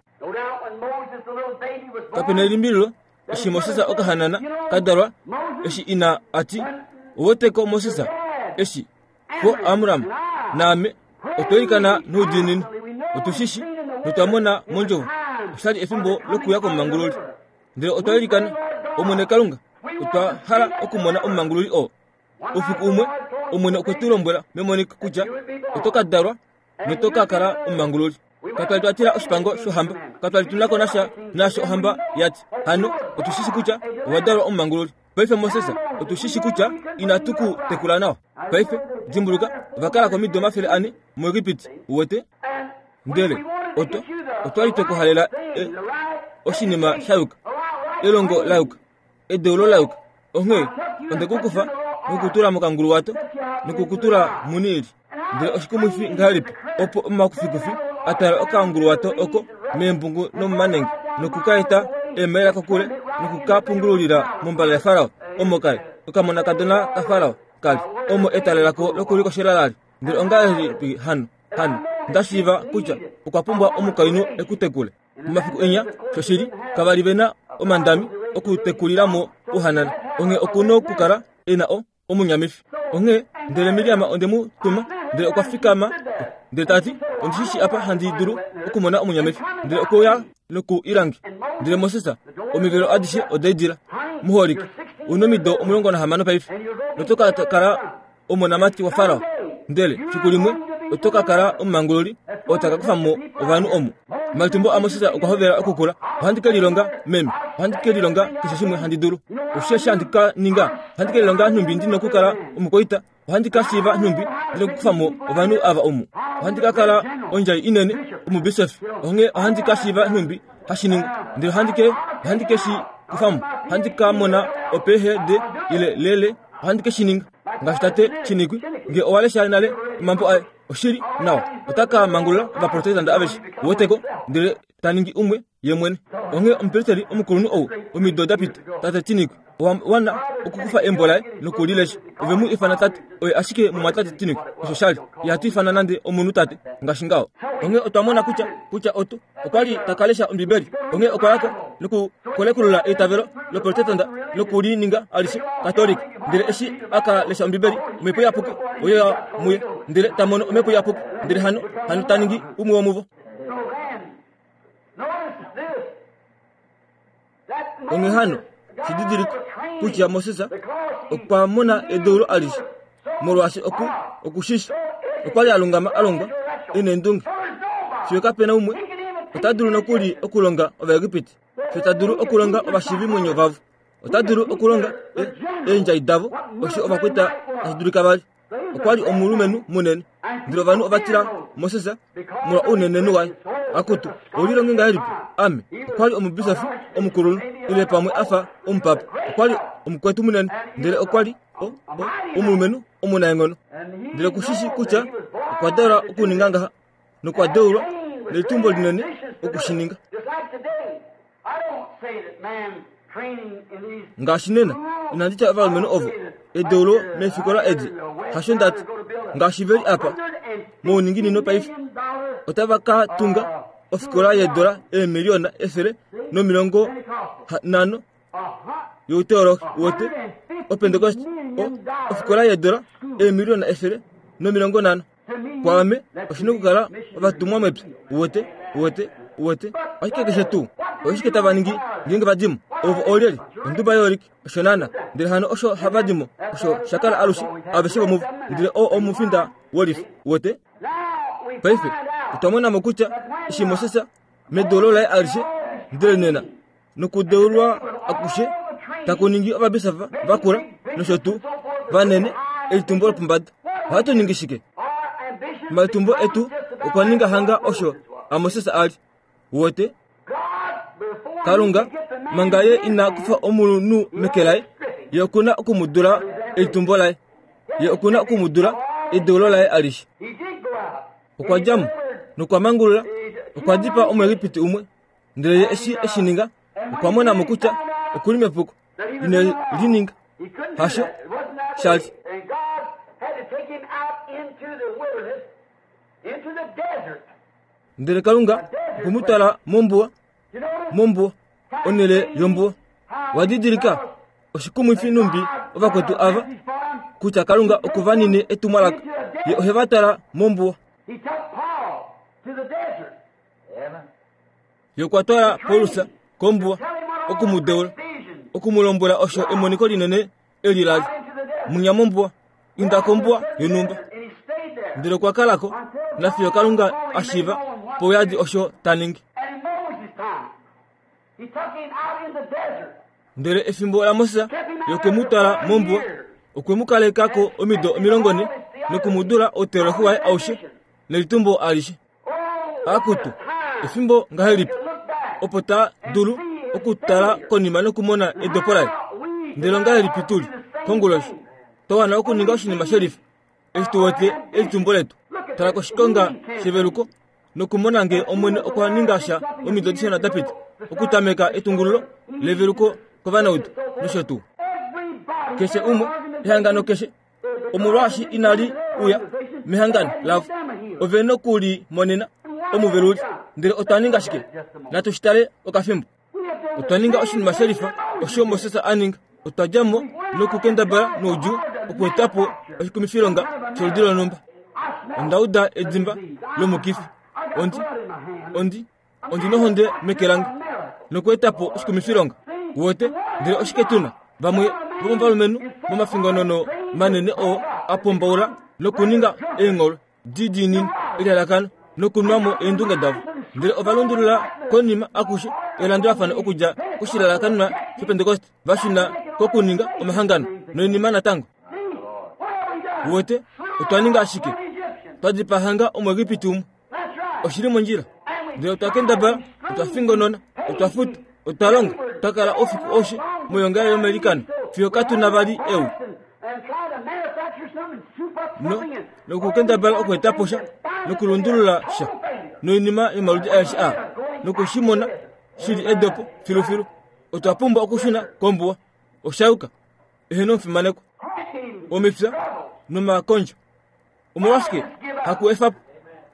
Speaker 1: Kape na elimbililo, eshi Moses okahanana ka dalwa, eshi ina a ti, Oweteko Moses, eshi Xo Amram naame otwa ilikana noudiinini, otu shi shi notwa mona mondjovo osha li efimbo lokuya komumangululi. Ndele otwa ilikana, Omwene Kalunga, otwa hala okumona omumangululi oo. Oufiku umwe, Omwene okwe tu lombwela memoniko kutya oto ka dalwa noto ka kala omumangululi. Katwa li twa tila oshipango shohamba, katwa li tu na ko nasha naasho ohamba ya ti. Hano otu shi shi kutya owa dalwa omumangululi. Paife Moses, otu shi shi kutya inatu ku tekula nawa. Paife, dimbuluka, ova kala ko omido 400 muEgipiti, uwete. Ndele otwa, otwa li twe ku halela e, oshinima sha yuka, elongo la yuka, edeulo la yuka. Onghee onde ku kufa nokutula mokanguluwato nokukutula muNiili. Ndele oshikumwifi ngahelipi opo omakufikufi a tala okanguluwato oko meembungu nomomanenge noku ka eta eemaila kokule noku ka pungululila mombala yaFarao, omo ka li okamonakadona kaFarao ka li, omo etale lako lokulikoshela la li. Ndele ongahelipi hano, hano nda shiiva kutya okwa pumbwa omukainhu e ku tekule? Momafiku enya, shoshili, kava li ve na omandami okutekulila mo ouhanana, onghee oku nokukala e na o, omunyamifi. Onghee, ndele Miriam onde mu tuma, ndele okwa fikama ko, ndele ta ti, Ondi shi shii apa handi dulu okumona omunyamifi. Ndele okwe uya noku i lange. Ndele Moses, omivelo adishe oda idila. Muholike, u nomido 16 paife, noto ka kala omonamati waFarao. Ndele fiku limwe oto ka kala omumangululi oo ta ka kufa mo ovanhu omu. Omalitumbo aMoses okwa hovela okukula. Ohandi ke lilonga, meme. Ohandi ke lilonga keshe shimwe handi dulu. Osheshi handi ka ninga? Ohandi ke lilonga nhumbi ndi nokukala omukwaita. Ohandi ka shiiva nhumbi ndi nokukufa mo ovanhu ava omu. Ohandi ka kala ondjai inene, omubisofi. Onghee ohandi ka shiiva nhumbi hashi ningwa. Ndele ohandi ke, ohandi ke shi kufa mo. Ohandi ka mona oPhD ile lele. Ohandi ke shi ninga. Ngaashi tate Shinikwi, nge owa lesha nale omambo aye, oshili nawa, ota ka mangulula ovaprotestante aveshe, uweteko, ndele ta ningi umwe ye mwene. Onghee omupristeli omukulunhu ou, omido da pita, tate Chinikwi, owa wana okukufa embo laye noku li lesha. Ove mu ifana tate, oye ashike mumwatate Chinikwi, osho sha li. Ihatu ifana nande omunhu tate, ngaashi ngaho. Onghee otwa mona kutya, kutya otu, okwa li ta ka lesha Ombibeli, onghee okwa ya ko nokukolekulula eitavelo loProtestanta noku li ninga alishe Katolika. Ndele eshi a ka lesha Ombibeli, Omhepo Iyapuki oye ya muye, ndele ta mono Omhepo Iyapuki, ndele hano, hano ta ningi umwe womuvo. Onghee hano, shi didilika kutya Moses okwa mona edeulo alishe, molwaashi oku oku shi shi. Okwa li a lungama a longwa e neendunge. Fiyo kape na umwe ota dulu nokuli okulonga Ovaegipiti, fiyo ta dulu okulonga ovashiivimwenyo vavo, ota dulu okulonga eendjai davo, osho ovakwaita tashi dulika va li. Okwa li omulumenhu munene, ndele ovanhu ova tila Moses molwa ounenenhu waye. Akutu, ou lilonge ngahelipi? Ame, okwa li omubisofi omukulunhu, ile pamwe a fa omupapa. Okwa li omukwetu munene, ndele okwa li o, o, omulumenhu omunaenghono. Ndele ku shi shi kutya okwa dalwa okuninga ngaha, nokwa deulwa. nelitumbo linene oku shi ninga. Ngaashi nena, inandi tya ovalumenhu ovo edeulo meefikola edi, hasho nda ti, ngaashi ve li apa mouninginino paife, otava ka tunga ofikola yeedola eemiliona 150 youteologi wote opentekoste, ofikola yeedola eemiliona 150. Kwaame oshi na okukala ovatumwa mepya. Uwete? Uwete? Uwete? Ashike keshe tuu oshike tava ningi ngeenge va di mo? Ovo oolyelye? Onduba yooliki, osho naana. Ndele hano osho hava di mo, osho sha kala alushe, aveshe vomuvo. Ndele oo omufinda wolifa. Uwete? Paife, otwa mona mo kutya eshi Moses, medeulo laye alishe, ndele nena, nokudeulwa akushe taku ningi ovabisofa vakula nosho tuu vanene elitumbo lopombada. Ohatu ningi shike? Omalitumbo etu okwa ninga hanga osho aMoses a li. Uwete? Kalunga, manga ye ina kufa omunhu meke laye, ye oku na oku mu dula elitumbo laye. Ye oku na oku mu dula edeulo laye alishe. Okwa dja mo nokwa mangulula, okwa dipaa Omuegipiti umwe Ndele ye eshi e shi ninga, okwa mona mo kutya oku li mepuko. Ine li ninga. Hasho sha li. Ndele Kalunga okwe mu twala mombuwa, mombuwa, onhele yombuwa. Wa didilika oshikumwifi numbi ovakwetu ava kutya Kalunga oku va nine etumwalaka. Ye ohe va twala mombuwa. Ye okwa twala Paulus kombuwa oku mu deula, oku mu lombwela osho emoniko linene eli la li. Munya mombuwa, inda kombuwa yonhumba. Ndele okwa kala ko, nafiyo Kalunga a shiiva pauyadi osho ta ningi. Ndele efimbo laMoses, ye okwe mu twala mombuwa, okwe mu kaleka ko omido 40 noku mu dula outeolohi waye aushe nelitumbo alishe. Akutu, efimbo ngahelipi opo ta dulu okutala konima nokumona edopo laye! Ndele ongahelipi tu li konguloshi twa wana okuninga oshinima shelifa eshi tu wete elitumbo letu? Tala koshikonga sheveluko nokumona ngee Omwene okwa ninga sha omido dishona da pita okutameka etungululo leveluko kovanaudu nosho tuu. Keshe umwe, ehangano keshe Omolwaashi inali uya mehangano lavo. Ove noku li monena omuveluli. Ndele otwa ninga shike? Natu shi tale okafimbo. Otwa ninga oshinima shelifa osho Moses a ninga. Otwa dja mo nokukendabala noudjuu okueta po oshikumifilonga sholudi lonhumba. Onda uda edimba lomukifi. Ondi, ondi, ondi nohonde meke lange nokueta po oshikumifilonga. Uwete? Ndele oshike tu na? Vamwe vomovalumenhu momafingonono manene oo a pombaula nokuninga eengholwe di diinini elalakano nokunwa mo eendunge davo. Ndele ova lundulula konima akushe elandulafano okudja koshilalakanenwa shOpentekoste va shuna kokuninga omahangano noinima natango. Uwete? Otwa ninga ashike. Twa dipaa hanga Omuegipiti umwe. Oshi li mondjila. Ndele otwa kendabala, otwa fingonona, otwa futa, otwa longa, twa kala oufiku aushe moyoongalele yomailikano fiyo katu na vali eu. No, nokukendabala okueta po sha, nokulundulula sha, noinima yomaludi aeshe aa, noku shi mona shi li edopo filufilu. Otwa pumbwa okushuna kombuwa. Osha yuka. Eheno omufimanekwa. Omifya nomakondjo. Omolwashike haku efa po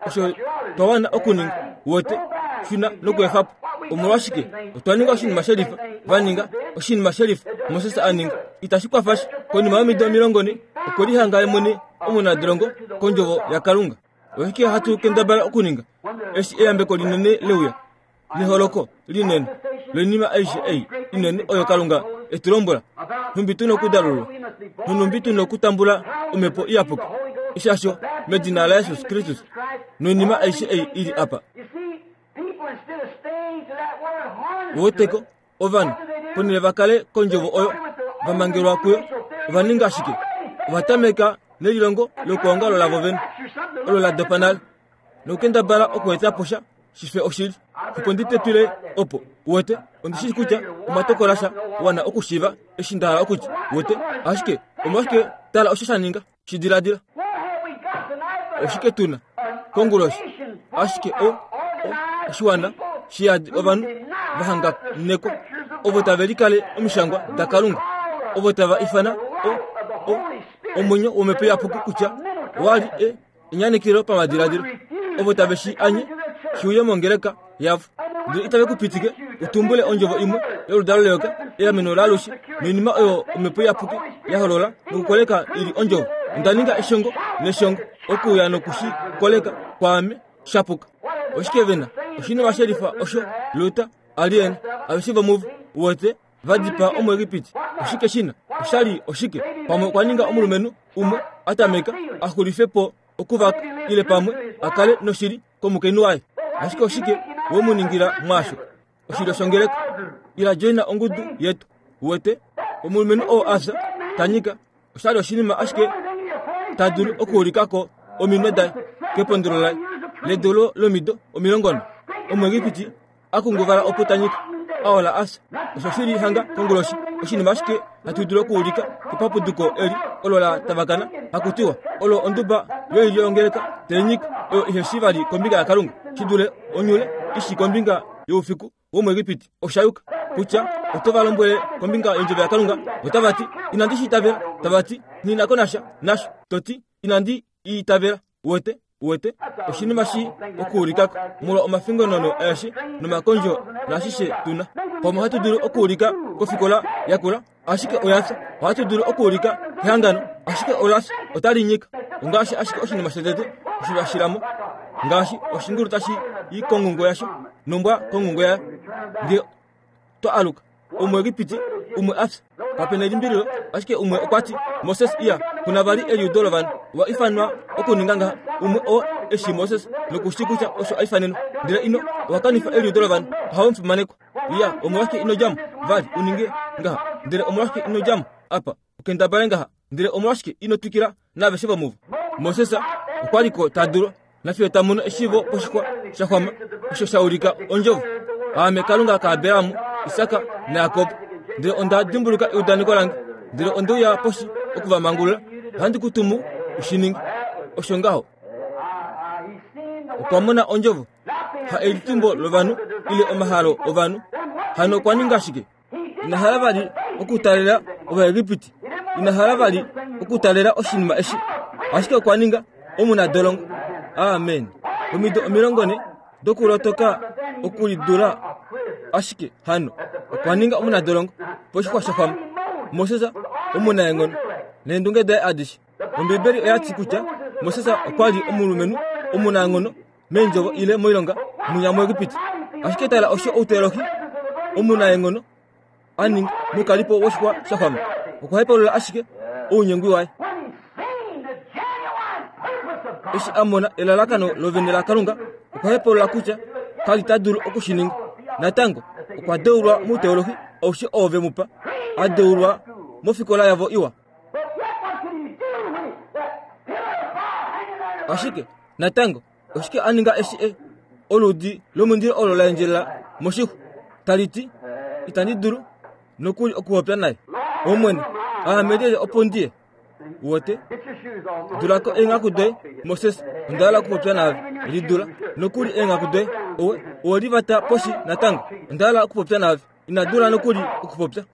Speaker 1: osho twa wana okuninga? Wote, shuna nokuefa po. Omolwashike otwa ninga oshinima shelifa? Va ninga oshinima shelifa Moses a ninga. Itashi kwafa sha. Konima yomido 40 okwe lihanga ye mwene omunadolongo kondjovo yaKalunga. Oshike hatu kendabala okuninga eshi eyambeko linene leuya? Neholoko linene loinima aishe ei inene oyo Kalunga e tu lombwela, nhumbi tu nokudalulwa, nonhumbi tu nokutambula Omhepo Iyapuki, eshasho medina laJesus Kristus, noinima aishe ei i li apa. Uweteko, ovanhu, ponhele va kale kondjovo oyo va mangelwa kuyo, ova ninga shike? Ova tameka nelilongo lokuongalo lavo vene, olo la dopa nale. nokukendabala okueta po sha shife oshili. Opo ndi tetwile opo, uwete, ondi shii kutya omwa tokola sha wana okushiiva eshi nda hala okutya, uwete. Ashike omolwashike tala osho sha ninga? Shi diladila. Oshike tu na konguloshi? Ashike o, oshiwana shiyadi ovanhu va hanganekwa ovo tave likale omishangwa daKalunga, ovo tava ifana o, o, omwenyo wOmhepo Iyapuki kutya wa li e, enyanekelo pamadiladilo, ovo tave shi anye shi uye mongeleka yavo. Ndele itave ku pitike u tumbule ondjovo imwe yoludalo leyoka, eameno laalushe, noinima oyo Omhepo Iyapuki ya holola nokukoleka i li ondjovo. Onda ninga eshongo neshongo okuuya noku shi koleka kwaame sha puka. Oshike ve na? Oshinima she lifa osho Luther a li e na. Aveshe vomuvo, uwete, va dipaa Omuegipiti. Oshike shi na? Osha li oshike? Pamwe okwa ninga omulumenhu umwe a tameka a xulife po okuvaka, ile pamwe a kale noshili komukainhu waye. Ashike oshike we mu ningila mwaasho? Oshilyo shongeleka. Ila joina ongudu yetu. Uwete? Omulumenhu oo a fya, ta nyika, osha li oshinima ashike ta dulu okuulika ko ominwe daye kepondolo laye ledeulo lomido 40. Omuegipiti a kunguvala opo ta nyika, a ola a fya. Osho shi li hanga konguloshi, oshinima ashike hatu dulu okuulika kepapuduko eli olo la tavakana, haku tiwa olo onduba yoilyo yongeleka tai nyika oyo ihe shi vali kombinga yaKalunga shi dule onyule i shi kombinga youfiku womuEgipiti. Osha yuka kutya oto va lombwele kombinga yondjovo yaKalunga, otava ti, Inandi shi itavela. Tava ti, Nghi na ko nasha nasho. To ti, Inandi i itavela. Uwete? Uwete? Oshinima shi okuulikako molwa omafingonono aeshe nomakondjo naashishe tu na. Pamwe ohatu dulu okuulika kofikola yakula, ashike oya fya. Ohatu dulu okuulika kehangano, ashike ola fya. Otali nyika. Ongaashi ashike oshinima shotete osho sha shila mo, ngaashi oshingulu tashi i kongungo yasho nombwa kongungo yayo. Nge twa aluka, Omuegipiti umwe a fya. Kape na elimbililo, ashike umwe okwa ti, Moses iya, ku na vali eliudo lovanhu. Owa ifanwa okuninga ngaha. Umwe oo e shii Moses noku shii kutya osho a ifanenwa. Ndele ino, owa kanifa eliudo lovanhu. Ohawe mufimanekwa. Iya, omolwashike ino dja mo vali u ninge ngaha? Ndele omolwashike ino dja mo apa u kendabale ngaha? Ndele omolwashike ino twikila naaveshe vomuvo? Moses okwa li ko ta dulu nafiyo ta mono eshiivo poshixwa sha xwama osho sha ulika ondjovo, Aame Kalunga kaAbraham, Isak naJakob. Ndele onda dimbuluka eudaneko lange, ndele onde uya poshi oku va mangulula. Ohandi ku tumu u shi ninge. Osho ngaho. Okwa mona ondjovo, ha elitumbo lovanhu ile omahalo ovanhu. Hano okwa ninga shike? Ina hala vali okutalela Ovaegipiti. Ina hala vali okutalela oshinima eshi. Ashike okwa ninga omunadolongo. Amen. Omido 40 dokulotoka okulidula ashike hano okwa ninga omunadolongo poshixwa sha xwama. Moses omunaenghono neendunge daye adishe. Ombibeli oya ti kutya Moses okwa li omulumenhu omunaenghono meendjovo ile moilonga mwinya muEgipiti. Ashike tala osho outeolohi omunaenghono a ninga mokalipo woshixwa sha xwama. Okwa hepaulula ashike ounyengwi waye. Eshi a mona elalakano lovene laKalunga, okwa hepaulula kutya ka li ta dulu oku shi ninga. Natango, okwa deulwa mouteolohi aushe oo ve mu pa, a deulwa mofikola yavo iwa. Ashike natango oshike a ninga eshi e oludi lomundilo olo la endjelela moshixwa tali ti, Itandi dulu nokuli okupopya naye. Omwene, aame lyelye opo ndi ye? Uwete? Dula ko eenghaku doye, Moses, onda hala okupopya naave. Lidula nokuli eenghaku doye, owe, owe livata poshi natango. Onda hala okupopya naave. Ina dula nokuli okupopya.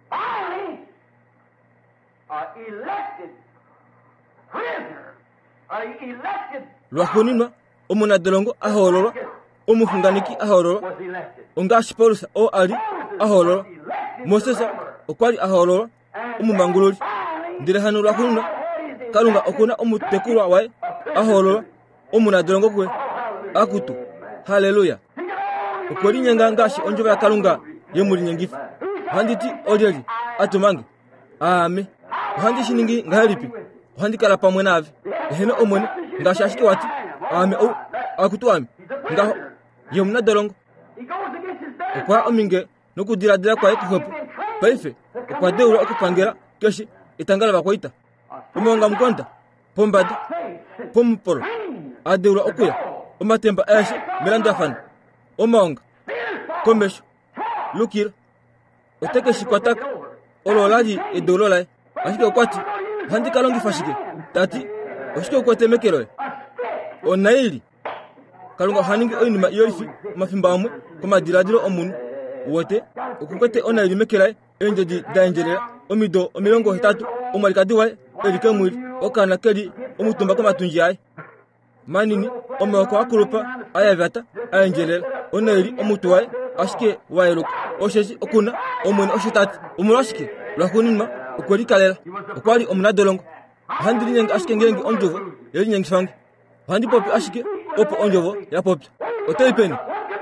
Speaker 1: Lwaxuuninwa, omunadolongo a hoololwa, omuxunganeki a hoololwa, ongaashi Paulus oo a li a hoololwa. Moses okwa li a hoololwa omumangululi. Ndele hano lwaxuuninwa, Kalunga oku na omutekulwa waye a hoololwa, omunadolongo kuye. Akutu, halleluya! Okwe linyenga ngaashi ondjovo yaKalunga ye mu linyengifa. Ohandi ti, Olyelye a tuma nge? Aame. Ohandi shi ningi ngahelipi? Ohandi kala pamwe naave. Eheno Omwene, ngaashi ashike wa ti, Aame ou, akutu ame. Ngaho, ye omunadolongo. Okwa ya ominge nokudiladila kwaye kuxwepo. Paife okwa deulwa okupangela keshe etanga lovakwaita. Omaongamukonda, pombada, pomupolo, a deulwa okuya, omatemba aeshe melandulafano, omaonga, komesho, lukila. Ote ke shi kwata ko. Olo ola li edeulo laye. Ashike okwa ti, Ohandi ka longifa shike? Ta ti, Oshike u kwete meke loye? Onaili. Kalunga oha ningi oinima iyolifi omafimbo amwe komadiladilo omunhu. Uwete? Oku kwete onaili meke laye, eendjedi da endjelela, omido 80, omwalikadi waye e li kemwili, okaana ke li omutumba komatundji aye. Manini, omaoko a kulupa a yavata a endjelela, onaili omutwe waye ashike wa yeluka. Osheshi oku na Omwene osho ta ti. Omolwashike? Lwaxuuninwa okwe likalela. Okwa li omunadolongo. Ohandi linyenge ashike ngeenge ondjovo ye linyengifa nge. Ohandi popi ashike opo ondjovo ya popya. Oto i peni?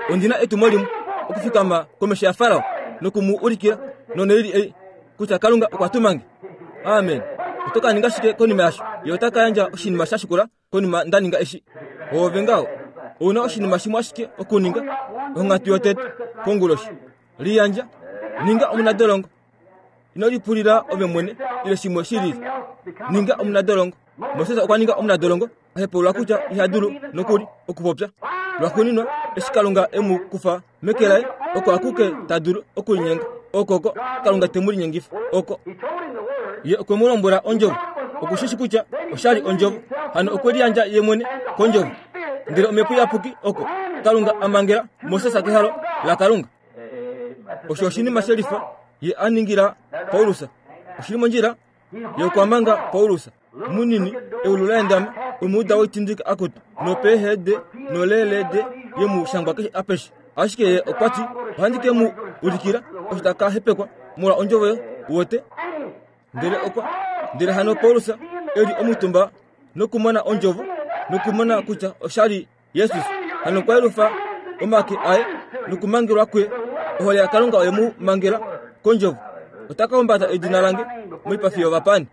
Speaker 1: Ondi na etumo limwe, okufikama komesho yaFarao noku mu ulikila noneili ei kutya Kalunga okwa tuma nge. Amen. Oto ka ninga shike konima yasho? Ye ota ka yandja oshinima sha shikula konima nda ninga eshi. Oove ngaho. Ou na oshinima shimwe ashike okuninga, onghatu yotete, konguloshi. Liyandja. Ninga omunadolongo. Ino lipulila ove mwene ile shimwe shi lili. Ninga omunadolongo. Moses okwa ninga omunadolongo a hepaulula kutya iha dulu nokuli okupopya. Lwaxuuninwa, eshi Kalunga e mu kufa meke laye, oko akuke ta dulu okulinyenga. Okoko Kalunga te mu linyengifa. Oko Ye okwe mu lombwela ondjovo. Oku shi shi kutya osha li ondjovo. Hano okwe liyandja ye mwene kondjovo. Ndele Omhepo Iyapuki oko Kalunga a mangela Moses kehalo laKalunga. Osho oshinima shelifa ye a ningila Paulus. Oshi li mondjila? Ye okwa manga Paulus munini eulu la endama, omuuda woitindika akutu nopeehede noleelede ye mu shangwa keshe apeshe. Ashike ye okwa ti, ohandi ke mu ulikila osho ta ka hepekwa molwa ondjovo yo wote. Ndele okwa ndele hano Paulus e li omutumba nokumona ondjovo nokumona kutya osha li Jesus hano okwa yelufa omake aye nokumangelwa kwe. Ohole yaKalunga oye mu mangela kondjovo. Ota ka humbata edina lange moipafi yovapaani.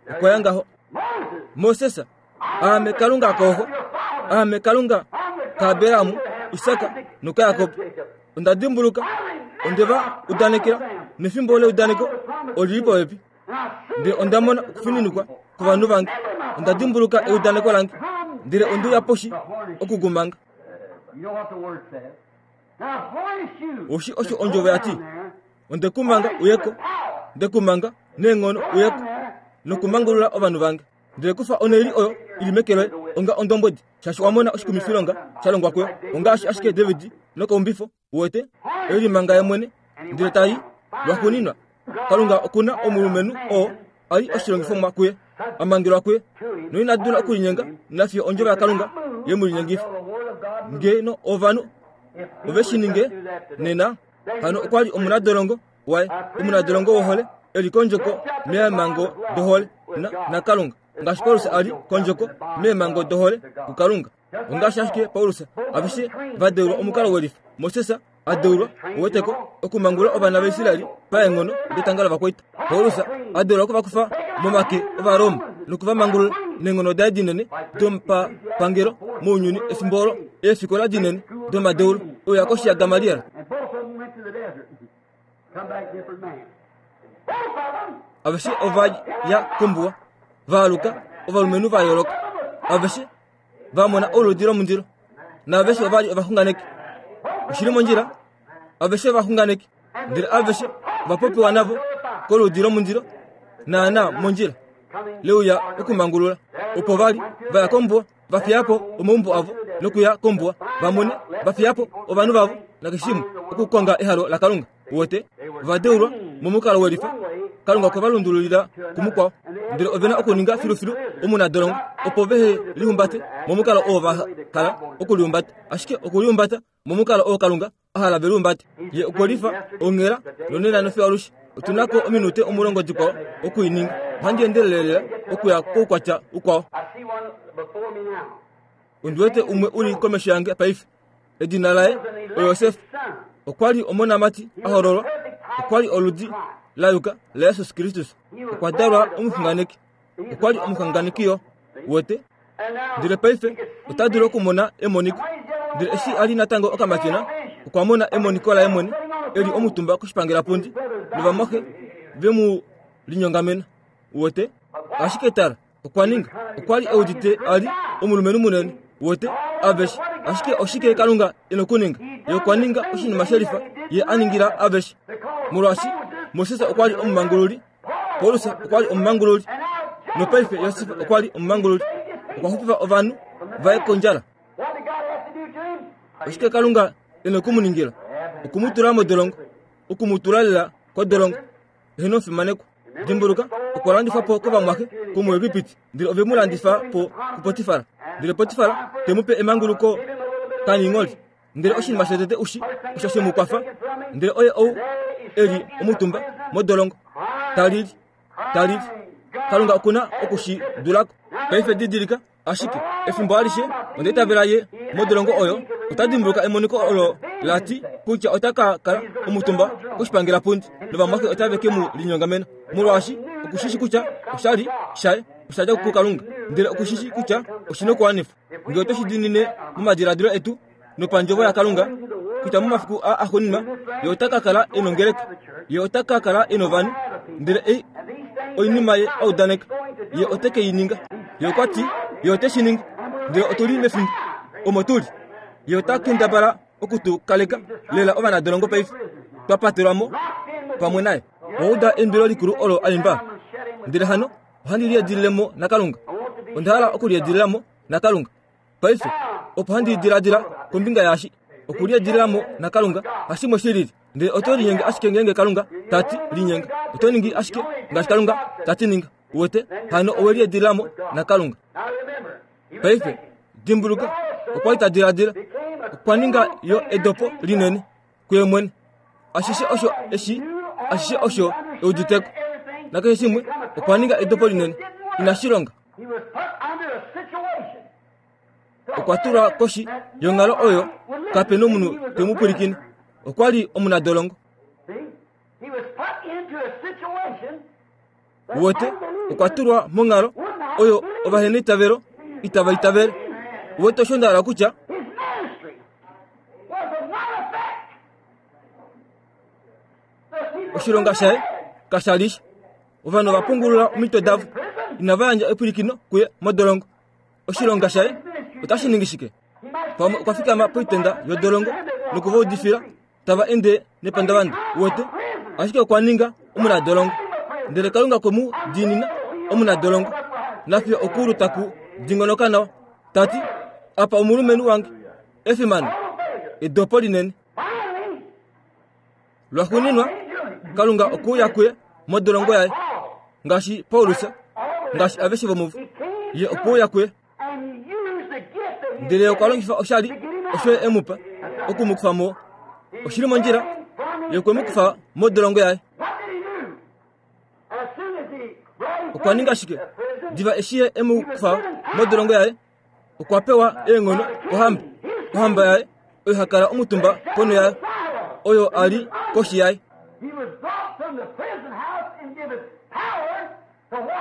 Speaker 1: Okwa ya ngaho. Moses, aame Kalunga kooxo, aame Kalunga kaAbraham, Isak nokaJakob. Onda dimbuluka, onde va udanekela, nefimbo leudaneko oli li popepi. Ndele onda mona okufininikwa kovanhu vange. Onda dimbuluka eudaneko lange, ndele onde uya poshi okukumanga. Oshi osho ondjovo ya ti, Onde ku manga uyeko, nde ku manga neenghono uyeko, nokumangulula ovanhu vange. Ndele kufa oneili oyo i li meke loye onga ondombwedi, shaashi wa mona oshikumifilonga sha longwa kuyo, ongaashi ashike David nokaumbifo Uwete? E limanga ye mwene, ndele ta i. Lwaxuuninwa, Kalunga oku na omulumenhu oo a li oshilongifomwa kuye, a mangelwa kuye, noina dula okulinyenga nafiyo ondjovo yaKalunga ye mu linyengifa. Ngeno ovanhu ove shi ninge nena, hano okwa li omunadolongo waye, omunadolongo wohole, e li kondjoko meemango dohole naKalunga, ngaashi Paulus a li kondjoko meemango dohole kuKalunga. Ongaashi ashike Paulus, aveshe va deulwa omukalo welifa. Moses a deulwa, uweteko, okumangulula ovana vaIsraeli paenghono detanga lovakwaita. Paulus a deulwa oku va kufa momake Ovaroma noku va mangulula neenghono daye dinene domapangelo mounyuni efimbo olo, eefikola dinene domadeulo uya koshi yaGamaliel. Aveshe ova ya kombuwa, va aluka ovalumenhu va yooloka. Aveshe va mona oludi lomundilo naaveshe ova li ovaxunganeki. Oshi li mondjila, aveshe ovaxunganeki, ndele aveshe ova popiwa navo koludi lomundilo naana mondjila leuya okumangulula. Opo va li va ya kombuwa, va fiya po omaumbo avo nokuya kombuwa va mone, va fiya po ovanhu vavo nakeshe shimwe okukonga ehalo laKalunga. Wote va deulwa momukalo welifa, Kalunga okwe va lundululila kumukwao, ndele ove na okuninga filufilu omunadolongo opo vehe lihumbate momukalo oo va hala okulihumbata, ashike okulihumbata momukalo oo Kalunga a hala ve lihumbate. Ye okwe lifa onghela nonena nofiyo alushe. Otu na ko ominute 10 dikwao oku i ninga. Ohandi endelele lela okuya koukwatya ukwao. Ondi wete umwe u li komesho yange paife. Edina laye oJosef. Okwa li omonamati a hololwa. Okwa li oludi la yuka laJesus Kristus. Okwa dalwa omuxunganeki. Okwa li omuxunganeki yo. Uwete? Ndele paife ota dulu okumona emoniko. Ndele eshi a li natango okamatyona, okwa mona emoniko laye mwene e li omutumba koshipangelapundi novamwaxe ve mu linyongamena. Uwete? Ashike tala, Okwa ninga. Okwa li e udite a li omulumenhu munene. Wote, aveshe. Ashike oshike Kalunga e nokuninga? Ye okwa ninga oshinima shelifa Ye a ningila aveshe. Molwaashi Moses okwa li omumangululi, Paulus okwa li omumangululi, nopaife Josef okwa li omumangululi. Okwa xupifa ovanhu vaye kondjala. Oshike Kalunga e noku mu ningila? Oku mu tula modolongo, oku mu tula lela kodolongo. Eheno omufimanekwa. Dimbuluka, okwa landifwa po kovamwaxe komuEgipiti, ndele ove mu landifa po kuPotifar. Ndele Potifar te mu pe emanguluko kaningholi. Ndele oshinima shotete ushi osho she mu kwafa, ndele oye ou e li omutumba modolongo, ta lili, ta lili. Kalunga oku na oku shi dula ko. Paife didilika, Ashike efimbo alishe onda itavela ye modolongo oyo ota dimbuluka emoniko olo la ti kutya ota ka kala omutumba koshipangelapundi novamwaxe otave ke mu linyongamena molwaashi oku shi shi kutya oshali shaye osha dja kuKalunga ndele oku shi shi kutya oshi na okuwanifwa. Ngee otwe shi diinine momadiladilo etu nopandjovo yaKalunga kutya momafiku aa axuuninwa ye ota ka kala e nongeleka, ye ota ka kala e novanhu, ndele ei oinima ye a udaneka, ye ote ke i ninga. Ye okwa ti ye ote shi ningi, ndele otu li mefimbo omo tu li. Ye ota kendabala oku tu kaleka lela ovanadolongo paife, twa patelwa mo pamwe naye. Owa uda eimbilo likulu olo a imba? Ndele hano ohandi liedilile mo naKalunga. Onda hala okuliedilila mo naKalunga. Paife, opo handi diladila kombinga yaashi, okuliedilila mo naKalunga hashimwe shi lili. Ndele oto linyenge ashike ngeenge Kalunga ta ti linyenga. Oto ningi ashike ngaashi Kalunga ta ti ninga. Uwete? Hano owe liedilila mo naKalunga. Paife, dimbuluka, okwa li ta diladila. Okwa ninga yo edopo linene kuye mwene. Ashishe osho eshi, ashishe osho e uditeko. Nakeshe shimwe, okwa ninga edopo linene. Inashi longa. Okwa tulwa koshi yonghalo oyo kape nomunhu te mu pwilikine. Okwa li omunadolongo. Uwete, okwa tulwa monghalo oyo ovaheneitavelo itava itavele. Uwete osho nda hala kutya? Oshilonga shaye kasha li sha. Ovanhu ova pungulula omitwe davo, inava yandja epwilikino kuye modolongo. Oshilonga shaye otashi ningi shike? Pamwe okwa fikama poitenda yodolongo noku va udifila tava ende nepandavanda, uwete, ashike okwa ninga omunadolongo. Ndele Kalunga okwe mu diinina omunadolongo, nafiyo okuulu taku dingonoka nawa, ta ti, Apa omulumenhu wange, efimano, edopo linene. Lwaxuuninwa, Kalunga okwe uya kuye modolongo yaye, ngaashi Paulus, ngaashi aveshe vomuvo. Ye okwe uya kuye, ndele okwa longifa oshali osho ye e mu pa oku mu kufa mo. Oshi li mondjila, ye okwe mu kufa modolongo yaye. Okwa ninga shike? Diva eshi ye e mu kufa modolongo yaye, okwa pewa eenghono kohamba, ohamba yaye oyo ha kala omutumba ponho yayo, oyo a li koshi yaye.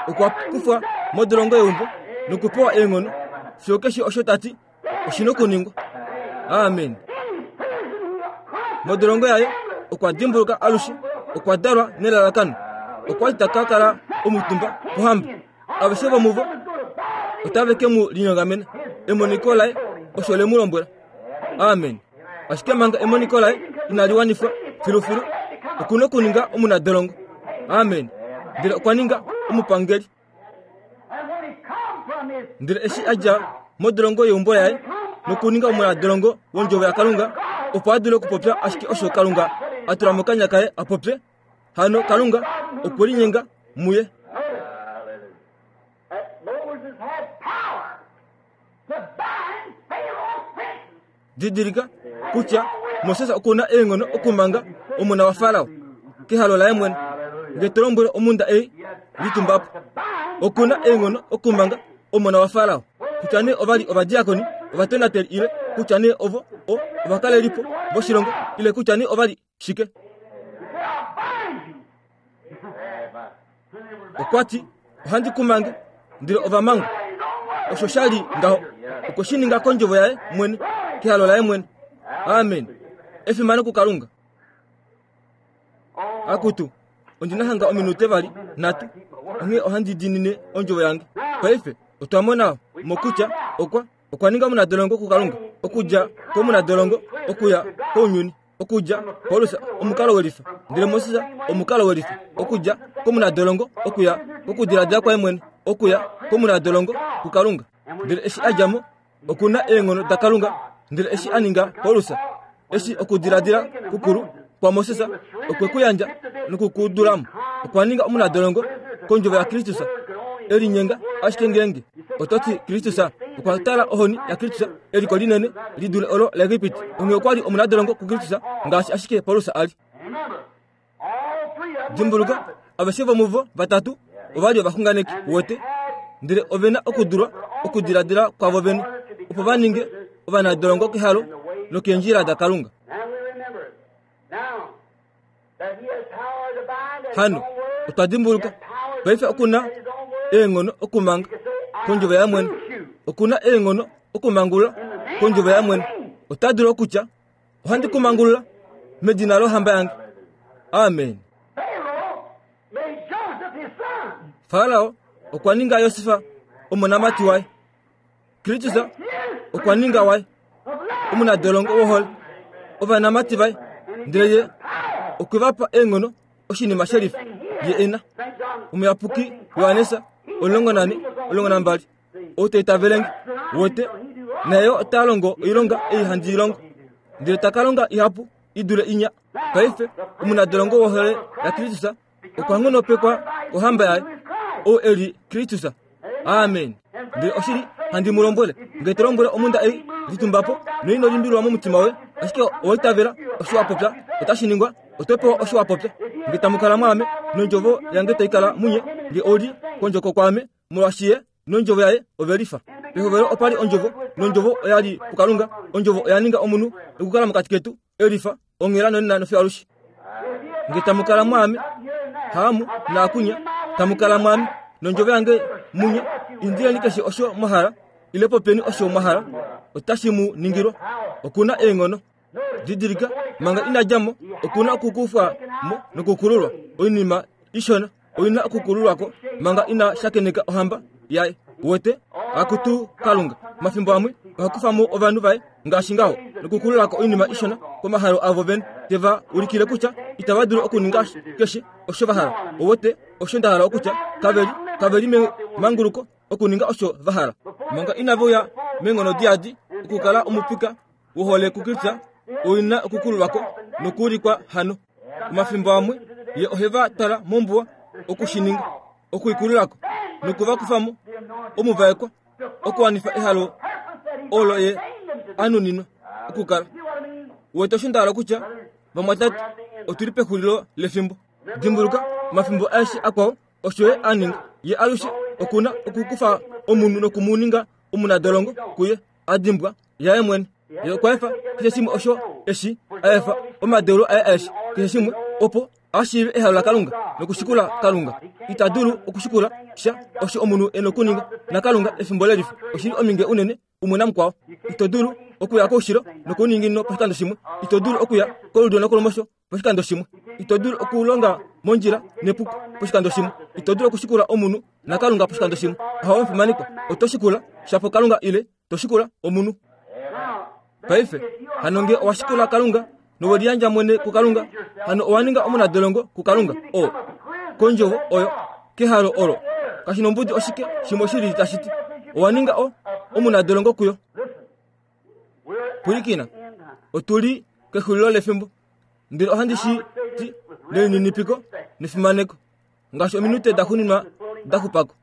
Speaker 1: Okwa kufwa modolongo yeumbo nokupewa eenghono fiyo keshe osho ta ti oshi na okuningwa. Amen. Modolongo yaye okwa dimbuluka alushe okwa dalwa nelalakano. Okwa li ta ka kala omutumba pohamba. Aveshe vomuvo otave ke mu linyongamena. Emoniko laye osho le mu lombwela. Amen. Ashike manga emoniko laye inali wanifwa filufilu, oku na okuninga omunadolongo. Amen. Ndele okwa ninga omupangeli. Ndele eshi a dja modolongo yeumbo laye nokuninga omunadolongo wondjovo yaKalunga, opo a dule okupopya ashike osho Kalunga a tula mokanya kaye a popye, hano Kalunga okwe linyenga muye. Didilika kutya Moses oku na eenghono okumanga omona waFarao kehalo laye mwene. Nge to lombwele omhunda ei, litumba po. Oku na eenghono okumanga omona waFarao, kutya nee ova li ovadiakoni, ovatonateli ile kutya nee ovo o ovakalelipo voshilongo ile kutya nee ova li shike. Okwa ti, Ohandi ku mange, ndele ova mangwa. Osho sha li ngaho. Okwe shi ninga kondjovo yaye mwene, kehalo laye mwene. Amen. Efimano kuKalunga. Akutu, ondi na hanga ominute vali nhatu, onghee ohandi diinine ondjovo yange. Paife, otwa mona mo kutya okwa, okwa ninga omunadolongo kuKalunga, okudja komunadolongo okuya kounyuni. Okudja Paulus omukalo welifa, ndele Moses omukalo welifa. Okudja komunadolongo okuya kokudiladila kwaye mwene, okuya komunadolongo kuKalunga. Ndele eshi a dja mo, oku na eenghono daKalunga Ndele eshi a ninga Paulus, eshi okudiladila kukulu kwaMoses okwe ku yandja noku ku dula mo, okwa ninga omunadolongo kondjovo yaKristus, e linyenga ashike ngeenge oto ti Kristus okwa tala ohoni yaKristus eliko linene li dule olo laEgipiti. Onghee okwa li omunadolongo kuKristus ngaashi ashike Paulus a li. Dimbuluka, aveshe vomuvo vatatu ova li ovaxunganeki wete, ndele ove na okudulwa okudiladila kwavo vene opo va ninge ovanadolongo kehalo nokeendjila daKalunga. Hano otwa dimbuluka paife oku na eenghono okumanga kondjovo yaye mwene, oku na eenghono okumangulula kondjovo yaye mwene. Ota dulu okutya, Ohandi ku mangulula medina lohamba yange. Amen. Farao okwa ninga Josef omonamati waye. Kristus okwa ninga waye omunadolongo wohole ovanamati vaye, ndele ye okwe va pa eenghono oshinima shelifa ye e na. Omuyapuki Johannes 14 12 Ou ta itavele nge, wete, naye yo ota longo oilonga ei handi i longo, ndele ta ka longa ihapu i dule inya. Paife omunadolongo wohole yaKristus okwa nghonopekwa kohamba yaye, ou e li Kristus. Amen. Ndele oshili handi mu lombwele, nge to lombwele omhunda ei, litumba po, noino limbililwa momutima woye, ashike owa itavela osho wa popya, otashi ningwa. Oto pewa osho wa popya. Nge tamu kala mwaame, nondjovo yange tai kala munye, nge ou li kondjoko kwaame, molwaashi ye nondjovo yaye ove lifa. Pehovelo opa li ondjovo, nondjovo oya li puKalunga, ondjovo oya ninga omunhu nokukala mokati ketu, e lifa, onghela nonena nofiyo alushe. Nge tamu kala mwaame, haamu naakunya, tamu kala mwaame, nondjovo yange munye, indileni keshe osho mwa hala, ile popyeni osho mwa hala, otashi mu ningilwa. Oku na eenghono. Didilika, manga ina dja mo, oku na okukufwa mo nokukululwa oinima ishona. Oi na okukululwa ko manga ina shakeneka ohamba yaye. Wete? Akutu Kalunga, mafimbo amwe oha kufa mo ovanhu vaye ngaashi ngaho nokukulula ko oinima ishona komahalo avo vene, te va ulikile kutya itava dulu okuninga keshe osho va hala. Owete osho nda hala okutya? Kave li, kave li memanguluko okuninga osho va hala. Manga inave uya meenghono diyadi okukala omupika wohole kuKristus, oi na okukululwa ko nokuulikwa hano. Omafimbo amwe ye ohe va twala mombuwa oku shi ninga, okuikulula ko noku va kufa mo omuvaekwa okuwanifa ehalo olo ye a nuninwa okukala. Wete osho nda hala okutya, vamwatate, otu li pexulilo lefimbo. Dimbuluka, omafimbo aeshe akwao osho ye a ninga. Ye alushe oku na okukufa omunhu noku mu ninga omunadolongo kuye a dimbwa yaye mwene. Ye okwa efa keshe shimwe osho eshi a efa omadeulo aye aeshe, keshe shimwe, opo a shiive ehalo laKalunga nokushikula Kalunga. Ita dulu okushikula sha osho omunhu e nokuninga naKalunga efimbo lelifa. Oshi li ominge unene umwe namukwao. Ito dulu okuya koushilo nokouninginino poshikando shimwe. Ito dulu okuya kolulyo nokolumosho poshikando shimwe. Ito dulu okulonga mondjila nepuko poshikando shimwe. Ito dulu okushikula omunhu naKalunga poshikando shimwe. Ohawe omufimanekwa, oto shikula shapo Kalunga ile to shikula omunhu. Paife, hano nge owa shikula Kalunga nowe liyandja mwene kuKalunga, hano owa ninga omunadolongo kuKalunga o kondjovo oyo kehalo olo. Kashi nombudi oshike shimwe shili tashi ti, owa ninga o omunadolongo kuyo. Pwilikina, otu li kexulilo lefimbo, ndele ohandi shi ti nelininipiko nefimaneko, ngaashi ominute da xuninwa da xupa ko.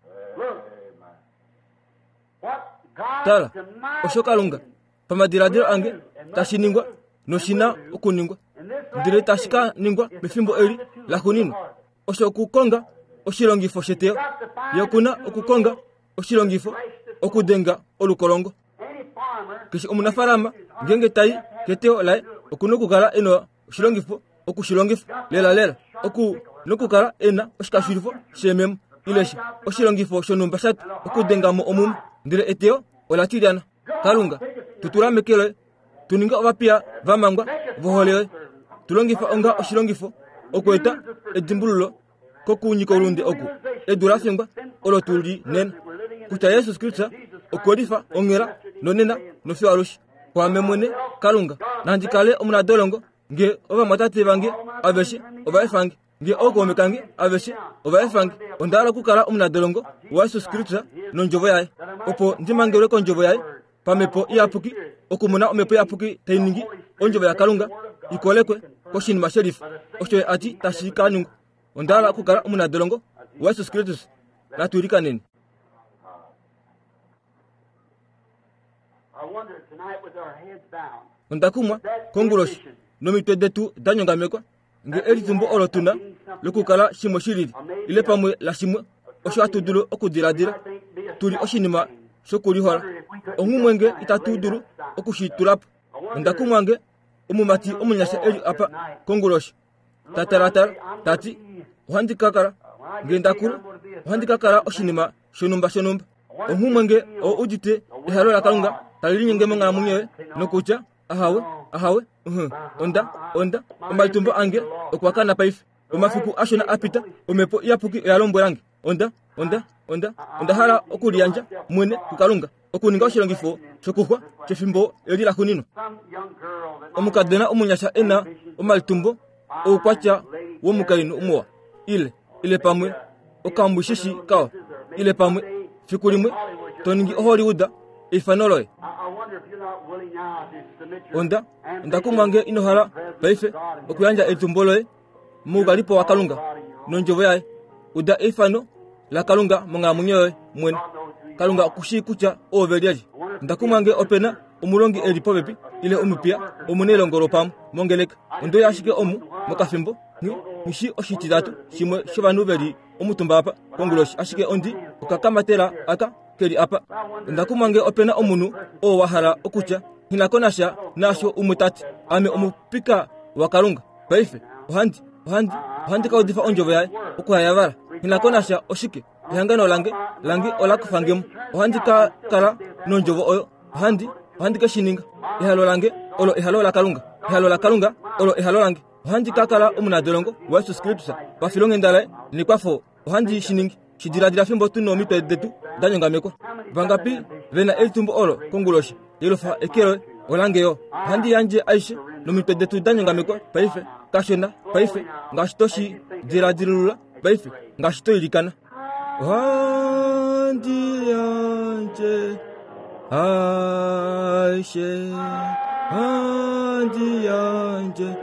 Speaker 1: Tala, osho Kalunga, pamadiladilo ange, tashi ningwa noshi na okuningwa, ndele tashi ka ningwa mefimbo eli laxuninwa, osho okukonga oshilongifo sheteyo. Ye oku na okukonga oshilongifo okudenga olukolongo. Keshe omunafaalama ngeenge tai keteyo laye oku na okukala e na oshilongifo oku shi longifa lelalela. Oku na okukala e na oshikashulifo sheememo ile sha oshilongifo shonhumba sha twa okudenga mo omume, ndele eteyo ola tilyana. Kalunga, tu tula meke loye, tu ninge ovapiya va mangwa vohole yoye. Tu longifa onga oshilongifo okweeta edimbululo kokunyika oulunde oku edu la fingwa olo tu li nena, kutya Jesus Kristus okwe lifa onghela nonena nofiyo alushe. Kwaame mwene, Kalunga, nandi kale omunadolongo nge ovamwatate vange aveshe ova efa nge, nge ookaume kange aveshe ova efa nge. Onda hala okukala omunadolongo waJesus Kristus nondjovo yaye, opo ndi mangelwe kondjovo yaye. pamhepo iyapuki okumona omhepo iyapuki tai ningi ondjovo yakalunga ikolekwe koshinima shelifa osho ye a ti tashi ka ningwa onda hala okukala omunadolongo wajesus kristus natu ilikaneni Onda kumwa konguloshi nomitwe detu da nyongamekwa nge elitumbo olo tu na lokukala shimwe shi lili ile pamwe lashimwe osho hatu dulu okudiladila tu li oshinima shokulihola onghumwe nge itatu dulu oku shi tula po. Onda kumwa nge omumati omunyasha e li apa konguloshi ta talatala ta ti, Ohandi ka kala nge nda kula, ohandi ka kala oshinima shonhumba shonhumba. Onghumwe nge ou udite ehalo laKalunga tali linyenge monghalamwenyo yoye nokutya, Ahawe, ahawe, uh, onda, onda, omalitumbo ange okwa kana paife. Omafiku ashona a pita, Omhepo Iyapuki oya lombwela nge, onda, onda, onda, onda hala okuliyandja mwene kuKalunga, okuninga oshilongifo shokuxwa shefimbo eli laxuuninwa. Omukadona omunyasha e na omalitumbo oukwatya womukainhu muwa, ile, ile pamwe okambwishishi kawa, ile pamwe fiku limwe to ningi oHollywood eifano loye. Onda, onda kumwa nge ino hala paife okuyandja elitumbo loye moukalipo waKalunga nondjovo yaye. Uda eifano laKalunga monghalamwenyo yoye mwene. Kalunga oku shii kutya oove lyelye. Onda kumwa nge ope na omulongi e li popepi ile omupiya omunailongo lwopamwe mongeleka. Onde uya ashike omu mokafimbo, nghi, nghi shii oshititatu shimwe shovanhu ve li omutumba apa konguloshi, ashike ondi okakamatela aka ke li apa. Onda kumwa nge ope na omunhu oo wa hala okutya, Nghi na ko nasha naasho umwe ta ti. Ame omupika waKalunga. Paife, ohandi, ohandi, ohandi ka udifa ondjovo yaye, okuhayavala. Nghi na ko nasha oshike. Ehangano lange, lange ola kufa nge mo. Ohandi ka kala nondjovo oyo. Ohandi, ohandi ke shi ninga. Ehalo lange olo ehalo laKalunga. Ehalo laKalunga olo ehalo lange. Ohandi ka kala omunadolongo waJesus Kristus pafilonghenda laye nekwafo. Ohandi shi ningi. Shi diladila fimbo tu nomitwe detu da nyongamekwa. Vangapi ve na elitumbo olo konguloshi? Yelufa eke loye. Olange yo. Ohandi yandje aishe nomitwe detu da nyongamekwa paife, kashona paife, ngaashi to shi diladilulula paife, ngaashi to ilikana. Ohandi yandje aishe, ohandi yandje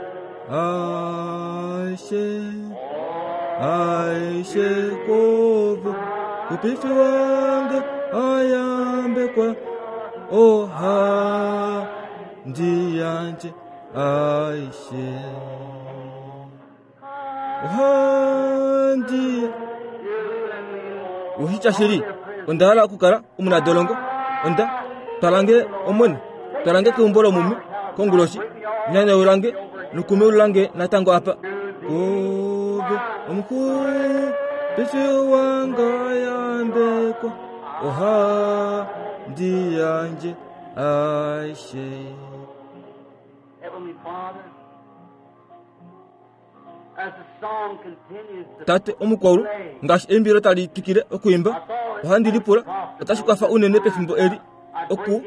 Speaker 1: aishe, aishe kwoove, mupifi wange ayambekwa, ohandi yandje aishe. Ohandi Oshitya shili, onda hala okukala omunadolongo. Onda twala nge Omwene, twala nge keumbo lomumi konguloshi, nyanyaula nge nokumeulula nge natango apa. Kove omuxupifi wange yambekwa, ohandi yandje aishe.
Speaker 3: Heavenly Father,
Speaker 1: Tate omukwaulu, ngaashi eimbilo tali twikile okwiimba, ohandi lipula otashi kwafa unene pefimbo eli oku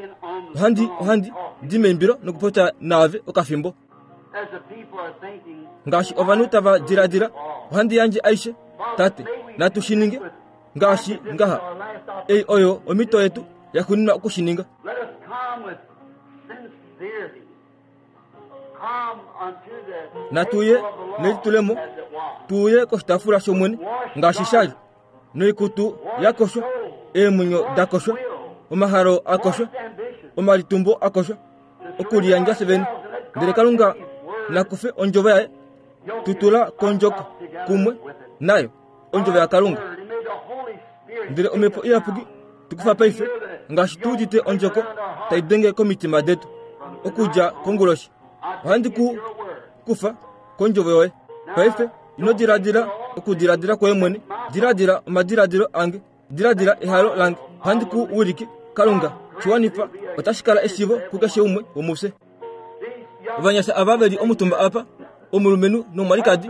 Speaker 1: ohandi ohandi di meimbilo nokupopya naave okafimbo. Ngaashi ovanhu tava diladila, ohandi yandje aishe, Tate, natu shi ninge ngaashi ngaha. Ei oyo omhito yetu yaxuuninwa oku shi ninga. Natu ye nelitulemo, tu uye koshitaafula shOmwene ngaashi sha li, noikutu ya koshwa, eemwenyo da koshwa, omahalo a koshwa, omalitumbo a koshwa, okuliyandja fye vene. Ndele Kalunga na kufe ondjovo yaye, tu tula kondjoko kumwe nayo, ondjovo yaKalunga. Ndele Omhepo Iyapuki tu kufa paife ngaashi tu udite ondjoko tai denge komitima detu okudja konguloshi. Ohandi ku kufa kondjovo yoye. Paife ino diladila okudiladila kwoye mwene, diladila omadiladilo ange, diladila ehalo lange. Ohandi ku wilike. Kalunga, shi wanifa, otashi kala eshivo kukeshe umwe womufye. Ovanyasha ava ve li omutumba apa, omulumenhu nomwalikadi,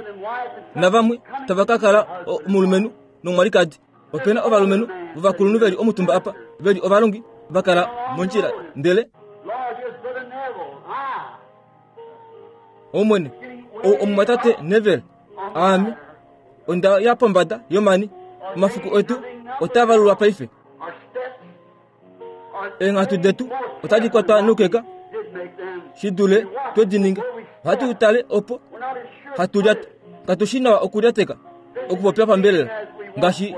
Speaker 1: navamwe tava ka kala omulumenhu nomwalikadi. Ope na ovalumenhu vovakulunhu ve li omutumba apa, ve li ovalongi, va kala mondjila, ndele Omwene, ou omumwatate Neville, aame, onda ya pombada yomani. Omafiku etu otaa valulwa paife. Eenghatu detu otadi kwatwa noukeka shi dule twe di ninga. Ohatu tale opo hatu lyata. Katu shi nawa okulyateka okupopya pambelela ngaashi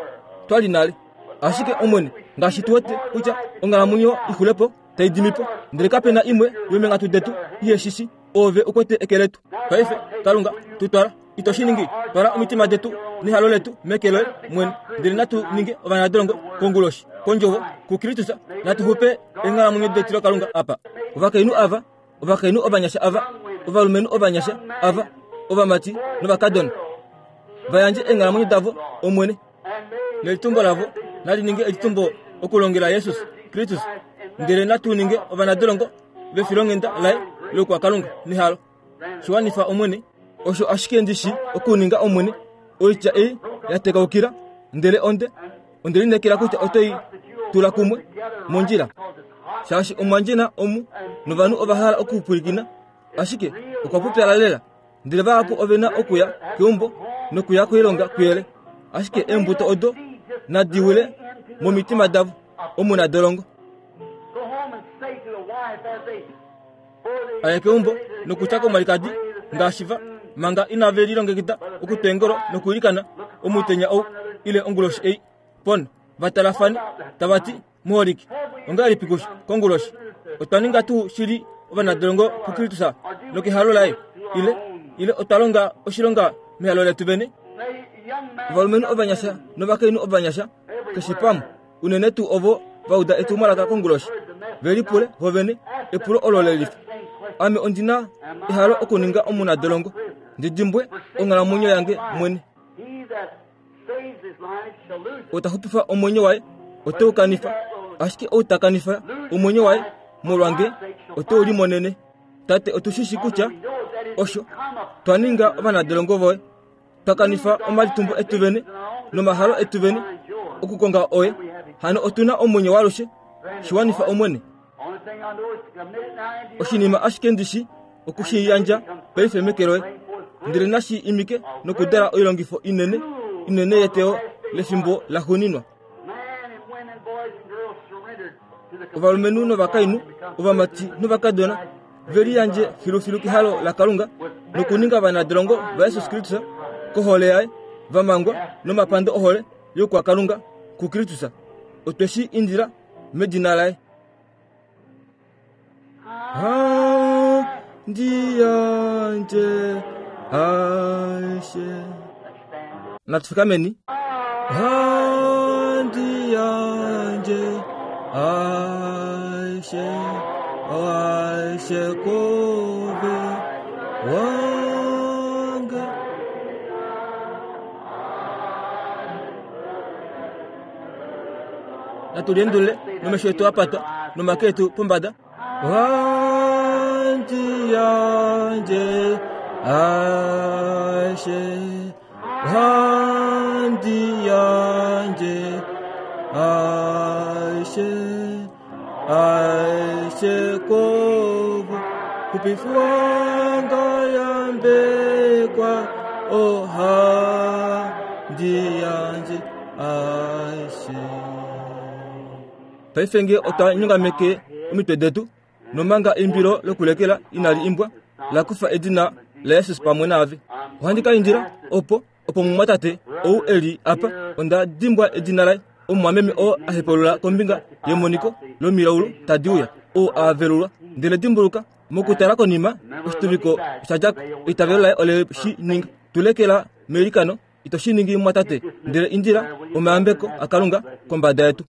Speaker 1: twa li nale. Ashike Omwene, ngaashi tu wete kutya onghalamwenyo i xule po tai dimi po, ndele kape na imwe yomeenghatu detu ihe shi shi, Oove u kwete eke letu. Paife, Kalunga, tu twala. Ito shi ningi? Twala omitima detu nehalo letu meke loye mwene, ndele natu ninge ovanadolongo konguloshi, kondjovo, kuKristus. Natu xupe eenghalamwenyo detilokalunga apa. Ovakainhu ava, ovakainhu ovanyasha ava, ovalumenhu ovanyasha ava, ovamati novakadona, va yandje eenghalamwenyo davo, Omwene. Nelitumbo lavo nali ninge elitumbo okulongela Jesus Kristus, ndele natu ninge ovanadolongo vefilonghenda laye loukwakalunga nehalo. Shi wanifa, Omwene. Osho ashike ndi shi okuninga, Omwene. Oitya ei ya tekaukila, ndele onde, onde lineekela kutya oto i tula kumwe mondjila, shaashi omwa ndjena omu novanhu ova hala okupwilikina, ashike okwa pupyala lela. Ndele vahapu ove na okuya keumbo nokuya koilonga kuyele, ashike eembuto odo nadi wile momitima davo omunadolongo. A ye keumbo nokutya komwalikadi ngaashi va manga inave lilongekida okutwa eengolo nokwiilikana omutenya ou ile onguloshi ei. Pon, va talafane, tava ti, Muholike, ongahelipi kusho konguloshi? Otwa ninga tuu shili ovanadolongo kuKristus nokehalo laye, ile ile otwa longa oshilonga mehalo letu vene? Ovalumenhu ovanyasha novakainhu ovanyasha, keshe pamwe, unene tuu ovo va uda etumwalaka konguloshi, ve lipule vovene epulo olo le lifa, Ame ondi na ehalo okuninga omunadolongo, ndi dimbwe onghalamwenyo yange mwene? Ou ta xupifa omwenyo waye ote u kanifa, ashike ou ta kanifa omwenyo waye molwange ote u limonene. Tate, otu shi shi kutya osho twa ninga ovanadolongo voye, twa kanifa omalitumbo etu vene nomahalo etu vene okukonga oye. Hano otu na omwenyo waalushe. Shi wanifa, Omwene. Oshinima ashike ndi shi oku shi yandja paife meke loye, ndele nashi imike nokudala oilongifo inene inene yeteyo lefimbo laxuuninwa. Ovalumenhu novakainhu, ovamati novakadona ve liyandje filufilu kehalo laKalunga nokuninga ovanadolongo vaJesus Kristus kohole yaye, va mangwa nomapando ohole youkwakalunga kuKristus. Otwe shi indila medina laye. Handi yandje aishe. Natu fikameni. Handi yandje aishe, aishe kove wange. Natu liendulule nomesho etu a patwa nomake etu pombada. Ohandi yandje aishe, ohandi yandje aishe, aishe kove kupifwanga yambekwa ohandi yandje aishe. Paife nge otwa nyongameke omitwe detu, nomanga eimbilo lokulekela inali imbwa, la kufa edina laJesus pamwe naave. Ohandi ka indila opo, opo mumwatate ou e li apa, onda dimbwa edina laye, omumwameme oo a hepaulula kombinga yemoniko lomilaulu tadi uya, ou a velulwa. Ndele dimbuluka, mokutala konima, oshituviko osha dja ko. Eitavelo laye ole shi ninga. Tu lekela meilikano. Ito shi ningi, mumwatate, ndele indila omayambeko aKalunga kombada yetu.